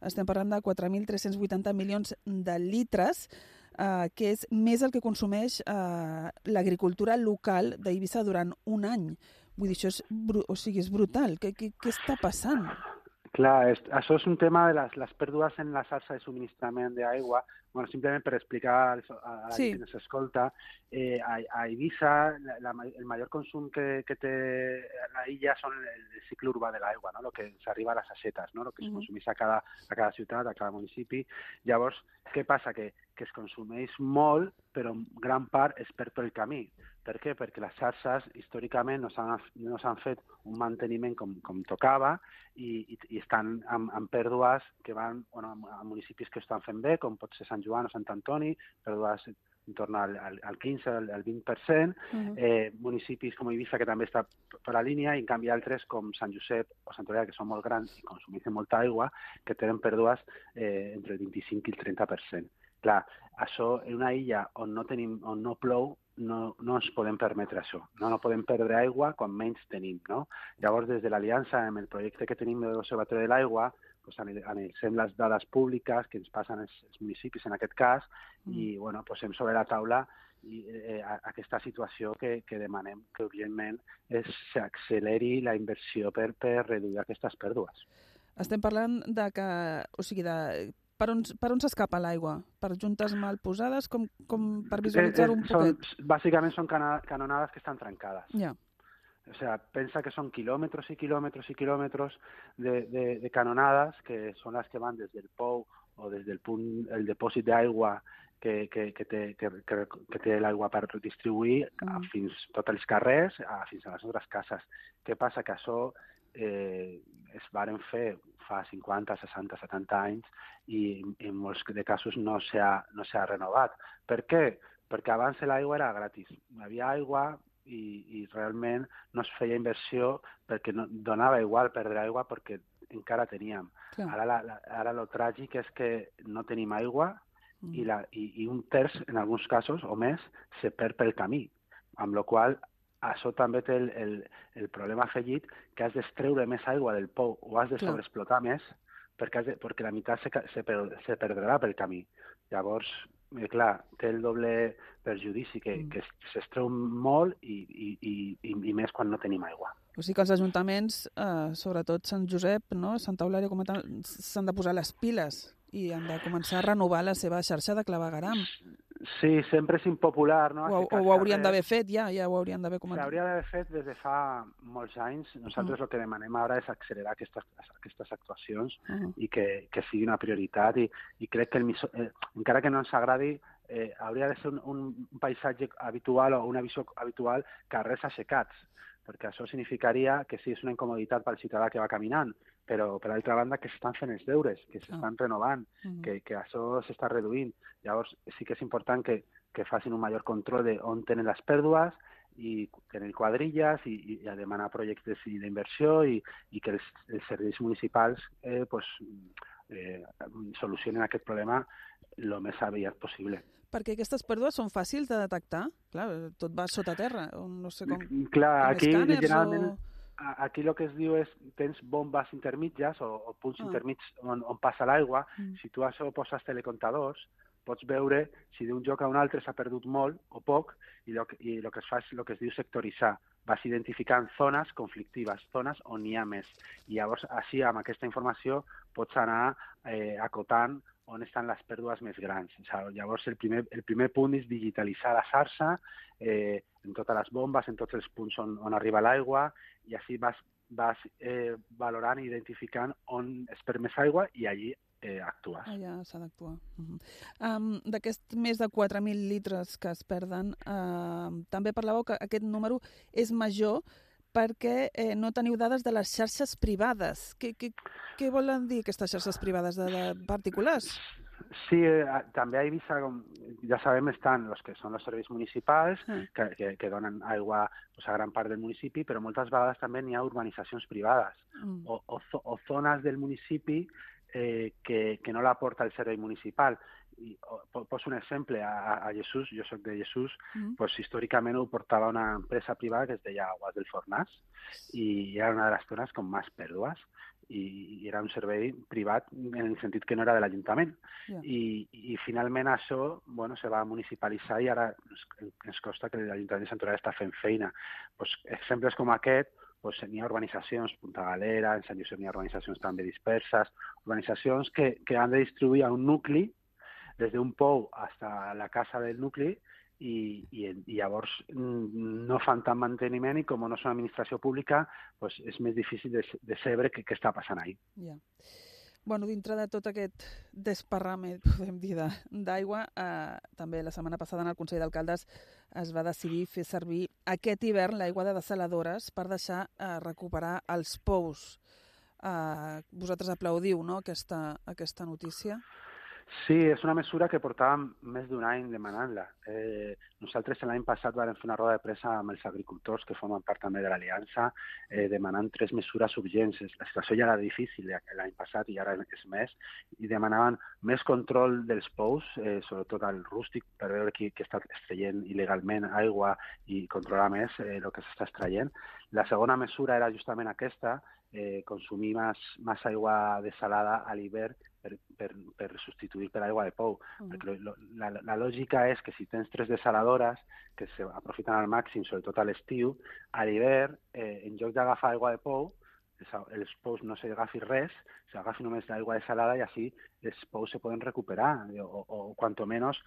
Estem parlant de 4.380 milions de litres, que és més el que consumeix l'agricultura local d'Eivissa durant un any. Vull dir, això és brutal. Què està passant? Clar, això és un tema de les pèrdues en la xarxa de subministrament d'aigua. bueno, simplement per explicar a la gent que s'escolta, a Eivissa el major consum que té la illa són el cicle urbà de l'aigua, no? El que s'arriba a les assetes, no? El que es consumeix a cada ciutat, a cada municipi. Llavors, què passa? Que es consumeix molt, però en gran part es perd pel camí. Per què? Perquè les xarxes històricament no s'han fet un manteniment com tocava i estan amb pèrdues que van a municipis que estan fent bé, com pot ser Sant Joan o Sant Antoni, pèrdues en torn al 15, al 20%, municipis com Eivissa, que també està per la línia, i en canvi altres com Sant Josep o Sant Oliver, que són molt grans i consumeixen molta aigua, que tenen pèrdues entre el 25 i el 30%. Clar, això en una illa on no plou, no ens podem permetre això. No podem perdre aigua quan menys tenim, no? Llavors, des de l'Aliança, amb el projecte que tenim de l'Observatori de l'Aigua, analitzem les dades públiques que ens passen els municipis, en aquest cas, i posem sobre la taula aquesta situació que demanem que urgentment s'acceleri la inversió per reduir aquestes pèrdues. Estem parlant de que, per on s'escapa l'aigua? Per juntes mal posades? Com per visualitzar un poquet? Bàsicament són canonades que estan trencades. Ja. O sea, pensa que son kilómetros y kilómetros y kilómetros de canonadas, que son las que van desde el POU o desde el depòsit d'aigua que té l'aigua per distribuir fins tots els carrers, fins a les nostres cases. Què passa? Que això es varen fer fa 50, 60, 70 anys i en molts de casos no s'ha renovat. Per què? Perquè abans l'aigua era gratis. Hi havia aigua i realment no es feia inversió perquè donava igual perdre aigua perquè encara teníem. Ara el tràgic és que no tenim aigua i un terç, en alguns casos, o més, se perd pel camí, amb la qual això també té el problema afegit que has d'extreure més aigua del pou o has de sobreexplotar més perquè la meitat se perdrà pel camí. Llavors, clar, té el doble perjudici, que s'extreu molt i més quan no tenim aigua. O sigui que els ajuntaments, sobretot Sant Josep, Santa Eulàlia, s'han de posar les piles i han de començar a renovar la seva xarxa de clavegueram. Sí, sempre és impopular, no? O ho haurien d'haver fet, ja ho haurien d'haver començat. S'hauria d'haver fet des de fa molts anys. Nosaltres el que demanem ara és accelerar aquestes actuacions i que sigui una prioritat i crec que encara que no ens agradi, hauria de ser un paisatge habitual o una visió habitual, carrers aixecats, perquè això significaria que sí, és una incomoditat pel ciutadà que va caminant, però per altra banda que s'estan fent els deures, que s'estan renovant, que això s'està reduint. Llavors sí que és important que facin un major control d'on tenen les pèrdues i tenir quadrilles i a demanar projectes d'inversió i que els serveis municipals solucionen aquest problema el més aviat possible. Perquè aquestes pèrdues són fàcils de detectar? Clar, tot va sota terra, no sé com... Clar, aquí generalment... Aquí el que es diu és tens bombes intermitges o punts intermits on passa l'aigua. Si tu això poses telecomptadors, pots veure si d'un lloc a un altre s'ha perdut molt o poc i el que es fa és el que es diu sectoritzar. Vas identificant zones conflictives, zones on n'hi ha més. I llavors, així, amb aquesta informació, pots anar acotant on estan les pèrdues més grans. Llavors, el primer punt és digitalitzar la xarxa en totes les bombes, en tots els punts on arriba l'aigua, i així vas valorant i identificant on es perd més aigua i allí actues. Allà s'ha d'actuar. D'aquests més de 4.000 litres que es perden, també parlàveu que aquest número és major perquè no teniu dades de les xarxes privades. Què volen dir aquestes xarxes privades de particulars? Sí, també a Eivissa, com ja sabem, estan els que són els serveis municipals, que donen aigua a gran part del municipi, però moltes vegades també n'hi ha urbanitzacions privades o zones del municipi que no l'aporta el servei municipal. Poso un exemple, a Jesús, jo soc de Jesús, històricament ho portava una empresa privada que es deia Aguas del Fornàs i era una de les zones amb més pèrdues i era un servei privat en el sentit que no era de l'Ajuntament. I finalment això se va municipalitzar i ara ens consta que l'Ajuntament de Sant Eulàlia està fent feina. Exemples com aquest, n'hi ha urbanitzacions, Punta Galera, en Sant Josep n'hi ha urbanitzacions també disperses, urbanitzacions que han de distribuir a un nucli des d'un pou fins a la casa del nucli, i llavors no fan tant manteniment i com no és una administració pública doncs és més difícil de saber què està passant ahí. Ja. Bueno, dintre de tot aquest desparrame, podem dir, d'aigua, també la setmana passada en el Consell d'Alcaldes es va decidir fer servir aquest hivern l'aigua de desaladores per deixar recuperar els pous. Vosaltres aplaudiu, no?, aquesta notícia? Sí, és una mesura que portàvem més d'un any demanant-la. Nosaltres l'any passat vam fer una roda de pressa amb els agricultors que formen part també de l'Aliança demanant 3 mesures urgents. La situació ja era difícil l'any passat i ara és més, i demanaven més control dels pous, sobretot al rústic, per veure qui està extraient il·legalment aigua i controlar més el que s'està extraient. La segona mesura era justament aquesta, consumir més aigua desalada a l'hivern per substituir per aigua de pou. Perquè la lògica és que si tens 3 desaladores que s'aprofiten al màxim, sobretot a l'estiu, a l'hivern, en lloc d'agafar aigua de pou, els pous no s'agafi res, s'agafi només l'aigua desalada i així els pous se poden recuperar o cuanto menos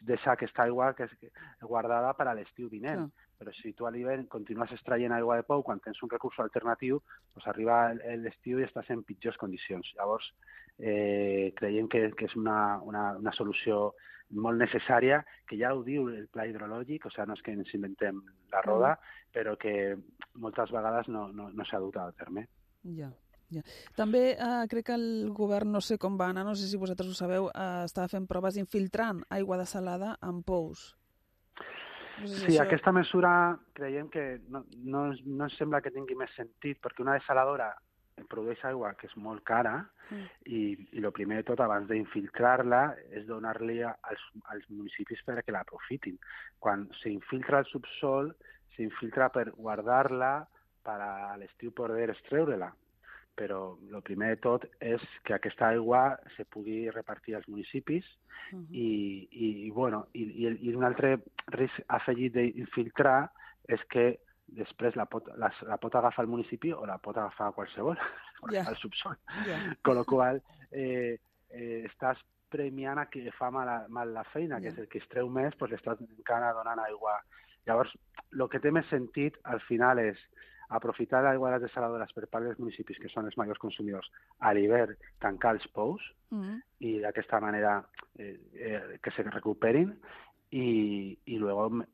deixar aquesta aigua que és guardada per a l'estiu vinent. Però si tu a l'hivern continues extraient aigua de pou, quan tens un recurs alternatiu, arriba l'estiu i estàs en pitjors condicions. Llavors, creiem que és una solució molt necessària, que ja ho diu el pla hidrològic, no és que ens inventem la roda, però que moltes vegades no s'ha dut a terme. Ja. També crec que el govern, no sé com va anar, no sé si vosaltres ho sabeu, estava fent proves infiltrant aigua desalada en pous. Sí, aquesta mesura creiem que no ens sembla que tingui més sentit, perquè una desaladora produeix aigua que és molt cara i el primer de tot, abans d'infiltrar-la, és donar-li als municipis perquè l'aprofitin. Quan s'infiltra al subsol, s'infiltra per guardar-la per a l'estiu poder extreure-la. Però el primer de tot és que aquesta aigua se pugui repartir als municipis i un altre risc afegit d'infiltrar és que després la pot agafar el municipi o la pot agafar qualsevol, al subsol. Con lo qual, estàs premiant a qui fa mal la feina, que és el que es treu més, l'estàs encara donant aigua. Llavors, el que té més sentit al final és aprofitar l'aigua de les desaladores per part dels municipis, que són els majors consumidors, a l'hivern tancar els pous i d'aquesta manera que se recuperin i luego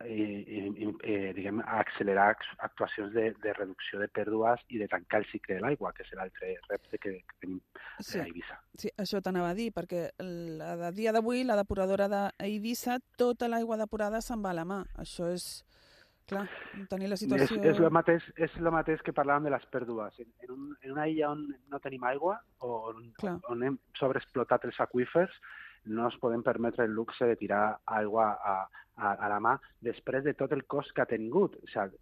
accelerar actuacions de reducció de pèrdues i de tancar el cicle de l'aigua, que és l'altre repte que tenim a Eivissa. Sí, això t'anava a dir, perquè a dia d'avui la depuradora d'Eivissa, tota l'aigua depurada se'n va a la mà. Això és... Clar, tenir la situació... És el mateix que parlàvem de les pèrdues. En una illa on no tenim aigua o on hem sobreexplotat els aqüífers, no ens podem permetre el luxe de tirar aigua a la mà després de tot el cost que ha tingut. O sigui,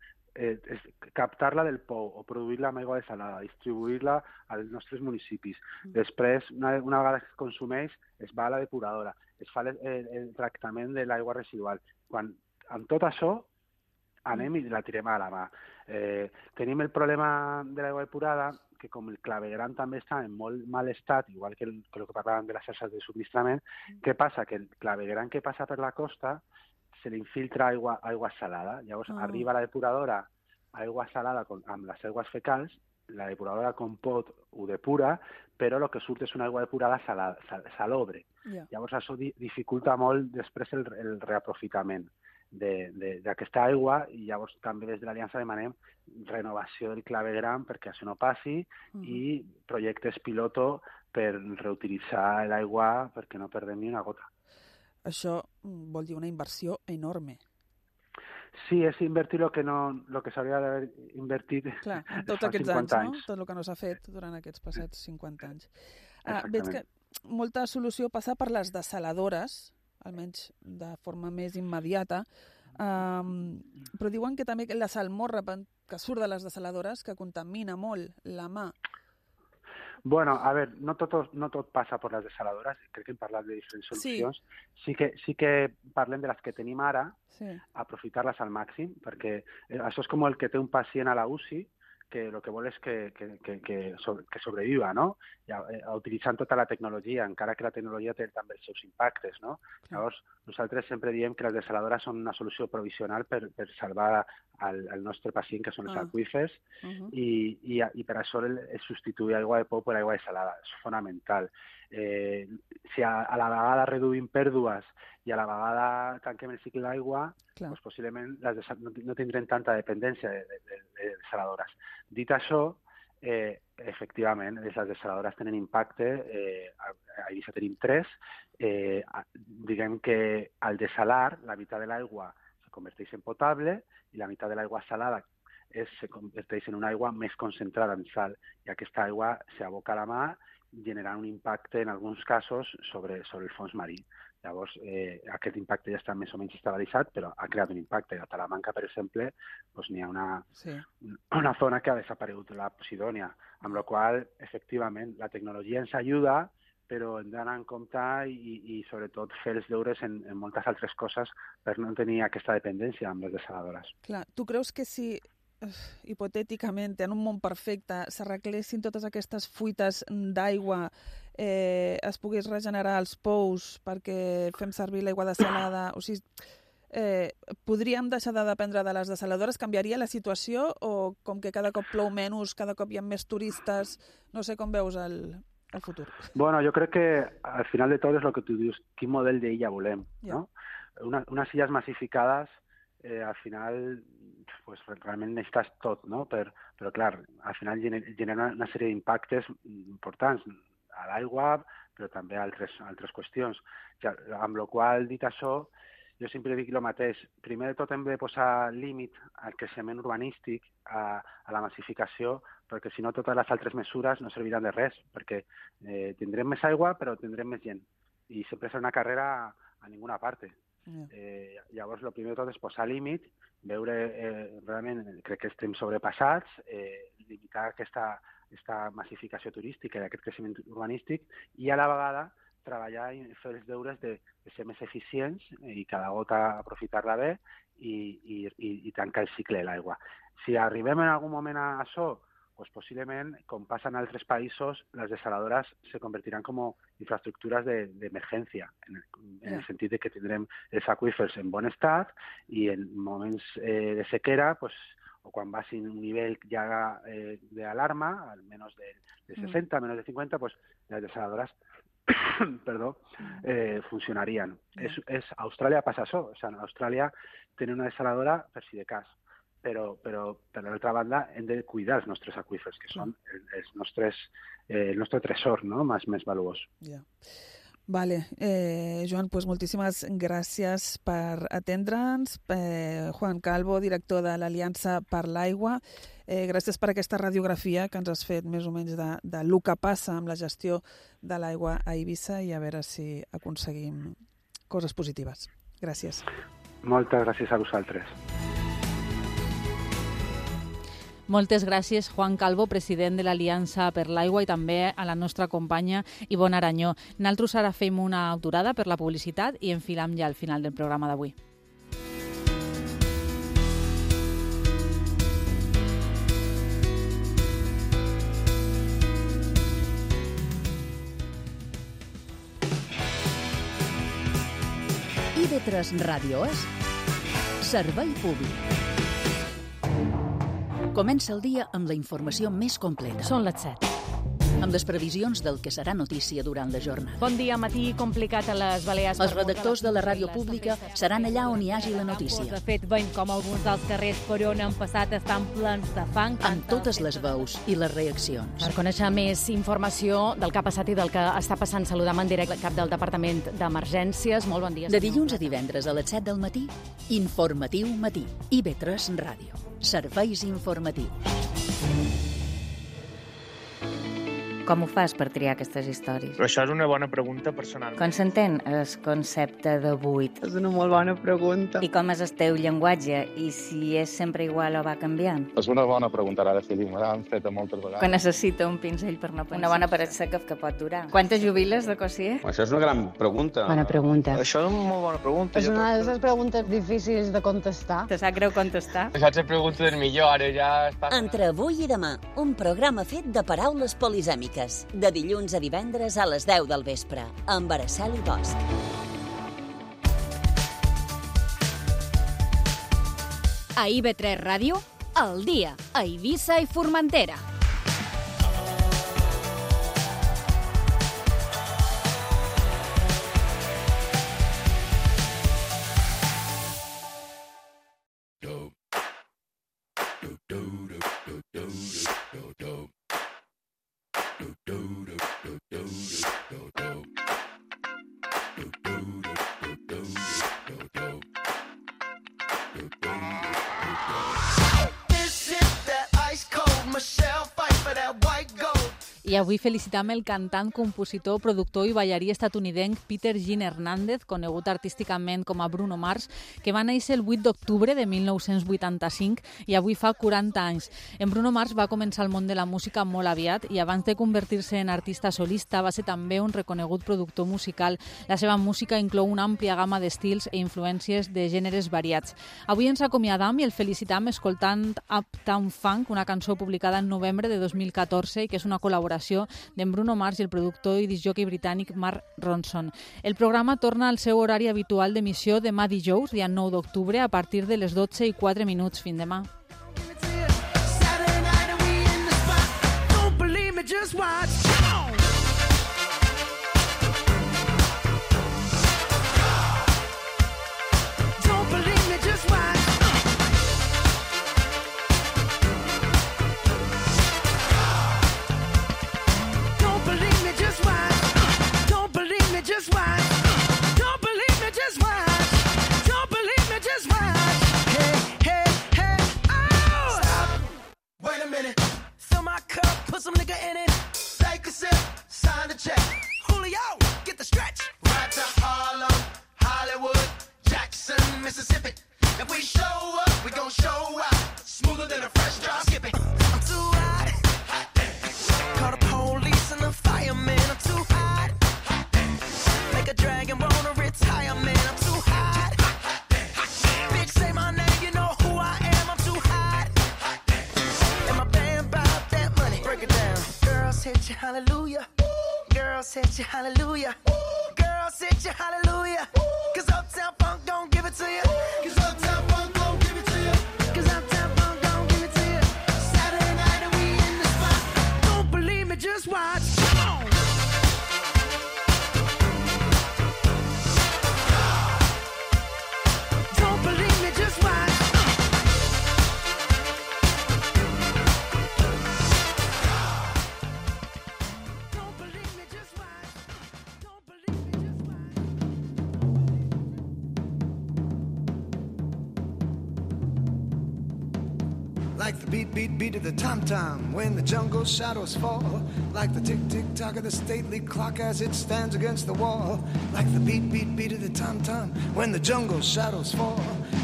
captar-la del pou o produir-la amb aigua desalada, distribuir-la als nostres municipis. Després, una vegada que es consumeix, es va a la depuradora, es fa el tractament de l'aigua residual. Quan amb tot això anem i la tirem a la mà. Tenim el problema de l'aigua depurada, que com el clavegueram també està en molt mal estat, igual que el que parlàvem de les xarxes de subministrament, què passa? Que el clavegueram que passa per la costa se li infiltra aigua salada. Llavors arriba a la depuradora aigua salada amb les aigües fecals, la depuradora com pot ho depura, però el que surt és una aigua depurada salobre. Llavors això dificulta molt després el reaprofitament d'aquesta aigua i llavors també des de l'Aliança demanem renovació del clavegueram perquè això no passi i projectes piloto per reutilitzar l'aigua perquè no perdem ni una gota. Això vol dir una inversió enorme. Sí, és invertir el que s'hauria d'haver invertit fa 50 anys. Tot el que no s'ha fet durant aquests passats 50 anys. Veig que molta solució passa per les desaladores, almenys de forma més immediata, però diuen que també la salmorra que surt de les desaladores que contamina molt la mà. Bueno, a veure, no tot passa per les desaladores, crec que hem parlat de diferents solucions. Sí que parlem de les que tenim ara, aprofitar-les al màxim, perquè això és com el que té un pacient a la UCI, que el que vol és que sobreviva, no? Utilitzant tota la tecnologia, encara que la tecnologia té també els seus impactes, no? Llavors, nosaltres sempre diem que les desaladores són una solució provisional per salvar el nostre pacient, que són els aqüífers, i per això substituir aigua de pou per aigua desalada. És fonamental. Si a la vegada reduïm pèrdues i a la vegada tanquem el cicle d'aigua, doncs possiblement no tindrem tanta dependència de desaladores. Dit això, efectivament, les desaladores tenen impacte, a Eivissa tenim 3, diguem que al desalar la meitat de l'aigua se converteix en potable i la meitat de l'aigua salada se converteix en una aigua més concentrada en sal, i aquesta aigua s'aboca a la mar generant un impacte en alguns casos sobre el fons marí. Llavors, aquest impacte ja està més o menys estabilitzat, però ha creat un impacte. A Talamanca, per exemple, n'hi ha una zona que ha desaparegut, la Posidònia, amb la qual, efectivament, la tecnologia ens ajuda, però hem d'anar en compte i sobretot, fer els deures en moltes altres coses per no tenir aquesta dependència amb les desaladores. Clar, tu creus que si hipotèticament, en un món perfecte, s'arreglessin totes aquestes fuites d'aigua, es pogués regenerar els pous perquè fem servir l'aigua desalada, o sigui, podríem deixar de dependre de les desaladores? Canviaria la situació, o com que cada cop plou menys, cada cop hi ha més turistes, no sé com veus el futur? Bueno, jo crec que al final de tot és el que tu dius, quin model d'illa volem, no? Unes illes massificades, al final pues, realment necessites tot, no? Però clar, al final genera una sèrie d'impactes importants a l'aigua, però també a altres qüestions. Amb la qual, dit això, jo sempre dic el mateix. Primer de tot hem de posar límit al creixement urbanístic, a la massificació, perquè si no totes les altres mesures no serviran de res, perquè tindrem més aigua però tindrem més gent, i sempre serà una carrera a ninguna parte. Llavors, el primer de tot és posar límit, veure realment, crec que estem sobrepassats, limitar aquesta massificació turística i aquest creixement urbanístic, i a la vegada treballar i fer els deures de ser més eficients i cada gota aprofitar-la bé i tancar el cicle de l'aigua. Si arribem en algun moment a això, pues possiblement, com passa en altres països, les desaladores se convertiran com infraestructures d'emergència, en el sentit de que tindrem els aqüífers en bon estat i en moments de sequera, pues, o quan vagi un nivell ja d'alarma, al menys de 60, menys de 50, pues, les desaladores funcionarien. A Austràlia passa això. O sigui, Austràlia té una desaladora per si de cas, però per l'altra banda hem de cuidar els nostres aqüífers, que són el nostre tresor, no? més valuós. Vale. Joan, pues moltíssimes gràcies per atendre'ns. Juan Calvo, director de l'Aliança per l'Aigua, gràcies per aquesta radiografia que ens has fet més o menys de lo que passa amb la gestió de l'aigua a Eivissa, i a veure si aconseguim coses positives. Gràcies. Moltes gràcies a vosaltres. Moltes gràcies, Juan Calvo, president de l'Aliança per l'Aigua, i també a la nostra companya Ivonne Aranyó. Nosaltres ara fem una aturada per la publicitat i enfilam ja al final del programa d'avui. IB3 Ràdio és Servei Públic. Comença el dia amb la informació més completa. Són les 7. Amb les previsions del que serà notícia durant la jornada. Bon dia, matí complicat a les Balears. Els redactors de la ràdio pública seran allà on hi hagi la notícia. De fet, veiem com alguns dels carrers per on han passat estan plens de fang. Amb totes les veus i les reaccions. Per conèixer més informació del que ha passat i del que està passant, saludam en directe el cap del Departament d'Emergències. Molt bon dia. De dilluns a divendres a les 7 del matí, Informatiu Matí. IB3 Ràdio. Serveis informatius. Com ho fas per triar aquestes històries? Però això és una bona pregunta personal. Com s'entén el concepte de buit? És una molt bona pregunta. I com és el teu llenguatge? I si és sempre igual o va canviant? És una bona pregunta, ara sí, me l'han fet moltes vegades. Quan necessita un pinzell per no pensar. Una bona paret seca que pot durar. Quantes jubiles de Cossier? Això és una gran pregunta. Bona pregunta. Això és una molt bona pregunta. És una de les preguntes difícils de contestar. Te sap greu contestar? Això és la pregunta del millor, ara ja està... Entre avui i demà, un programa fet de paraules polisèmiques, de dilluns a divendres a les 10 del vespre, amb Araceli Bosch. A IB3 Ràdio, al dia, a Eivissa i Formentera. I avui felicitam el cantant, compositor, productor i ballarí estatunidenc Peter Gene Hernández, conegut artísticament com a Bruno Mars, que va néixer el 8 d'octubre de 1985 i avui fa 40 anys. En Bruno Mars va començar el món de la música molt aviat i abans de convertir-se en artista solista va ser també un reconegut productor musical. La seva música inclou una àmplia gamma d'estils e influències de gèneres variats. Avui ens acomiadam i el felicitam escoltant Uptown Funk, una cançó publicada en novembre de 2014 i que és una col·laboració d'en Bruno Mars i el productor i discjòquei britànic Mark Ronson. El programa torna al seu horari habitual d'emissió demà dijous, dia 9 d'octubre, a partir de les 12:04. Fins demà. Just watch. Don't believe me, just watch. Don't believe me, just watch. Hey, hey, hey, oh! Stop. Wait a minute. Fill my cup, put some nigga in it. Take a sip, sign the check. Julio, get the stretch. Right to Harlem, Hollywood, Jackson, Mississippi. If we show up, we gon' show out. Smoother than a fresh drop. Skip it. I'm too hot. Call the police and the firemen. I'm too hot. Make a dragon wanna retire, man, I'm too hot. Bitch, say my name, you know who I am, I'm too hot. And my band bought that money. Break it down. Girls hit you, hallelujah. Girls hit you, hallelujah. Girls hit you, hallelujah. Cause Uptown Funk don't give it to you. Cause Uptown Funk don't give it to you. Cause Uptown Funk don't give it to you. Saturday night and we in the spot. Don't believe me, just watch. Come on. Like the beat, beat, beat of the tom-tom when the jungle shadows fall. Like the tick-tick-tock of the stately clock as it stands against the wall. Like the beat, beat, beat of the tom-tom when the jungle shadows fall.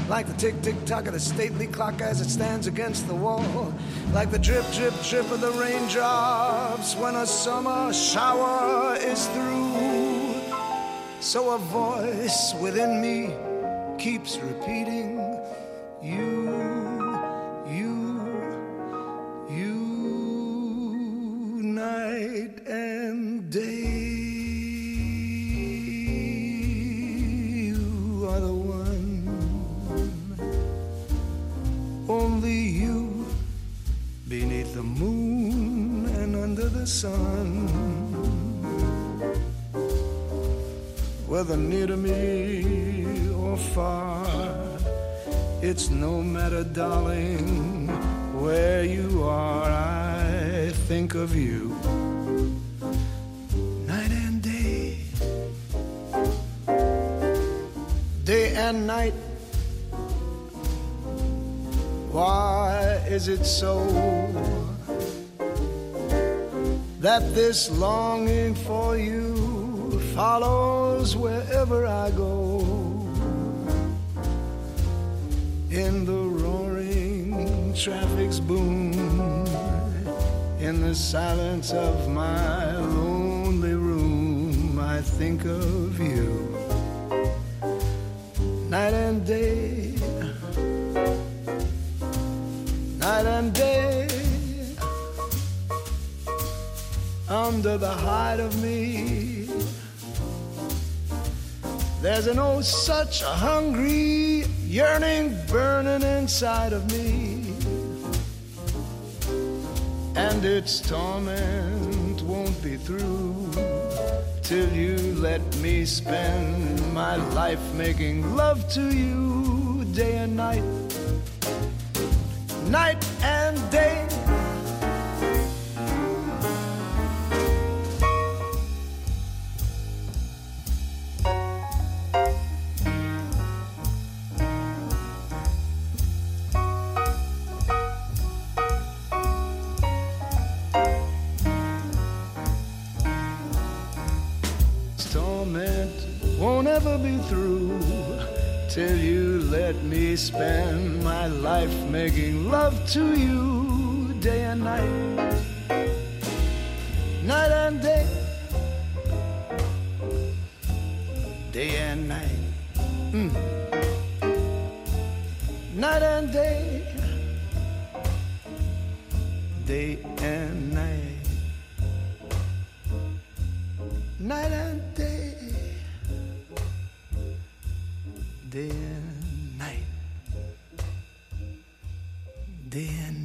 Like the tick-tick-tock of the stately clock as it stands against the wall. Like the drip, drip, drip of the raindrops when a summer shower is through. So a voice within me keeps repeating, you, night and day. You are the one, only you, beneath the moon and under the sun. Whether near to me or far, it's no matter, darling, where you are, I think of you. Night and day, day and night. Why is it so that this longing for you follows wherever I go. In the roaring traffic's boom, in the silence of my lonely room, I think of you. Night and day, night and day, under the hide of me, there's an oh such a hungry yearning burning inside of me, and its torment won't be through till you let me spend my life making love to you day and night, night and day. Won't ever be through till you let me spend my life making love to you day and night, night and day, day and night, night and day, day and night, night and day. Day and night, day and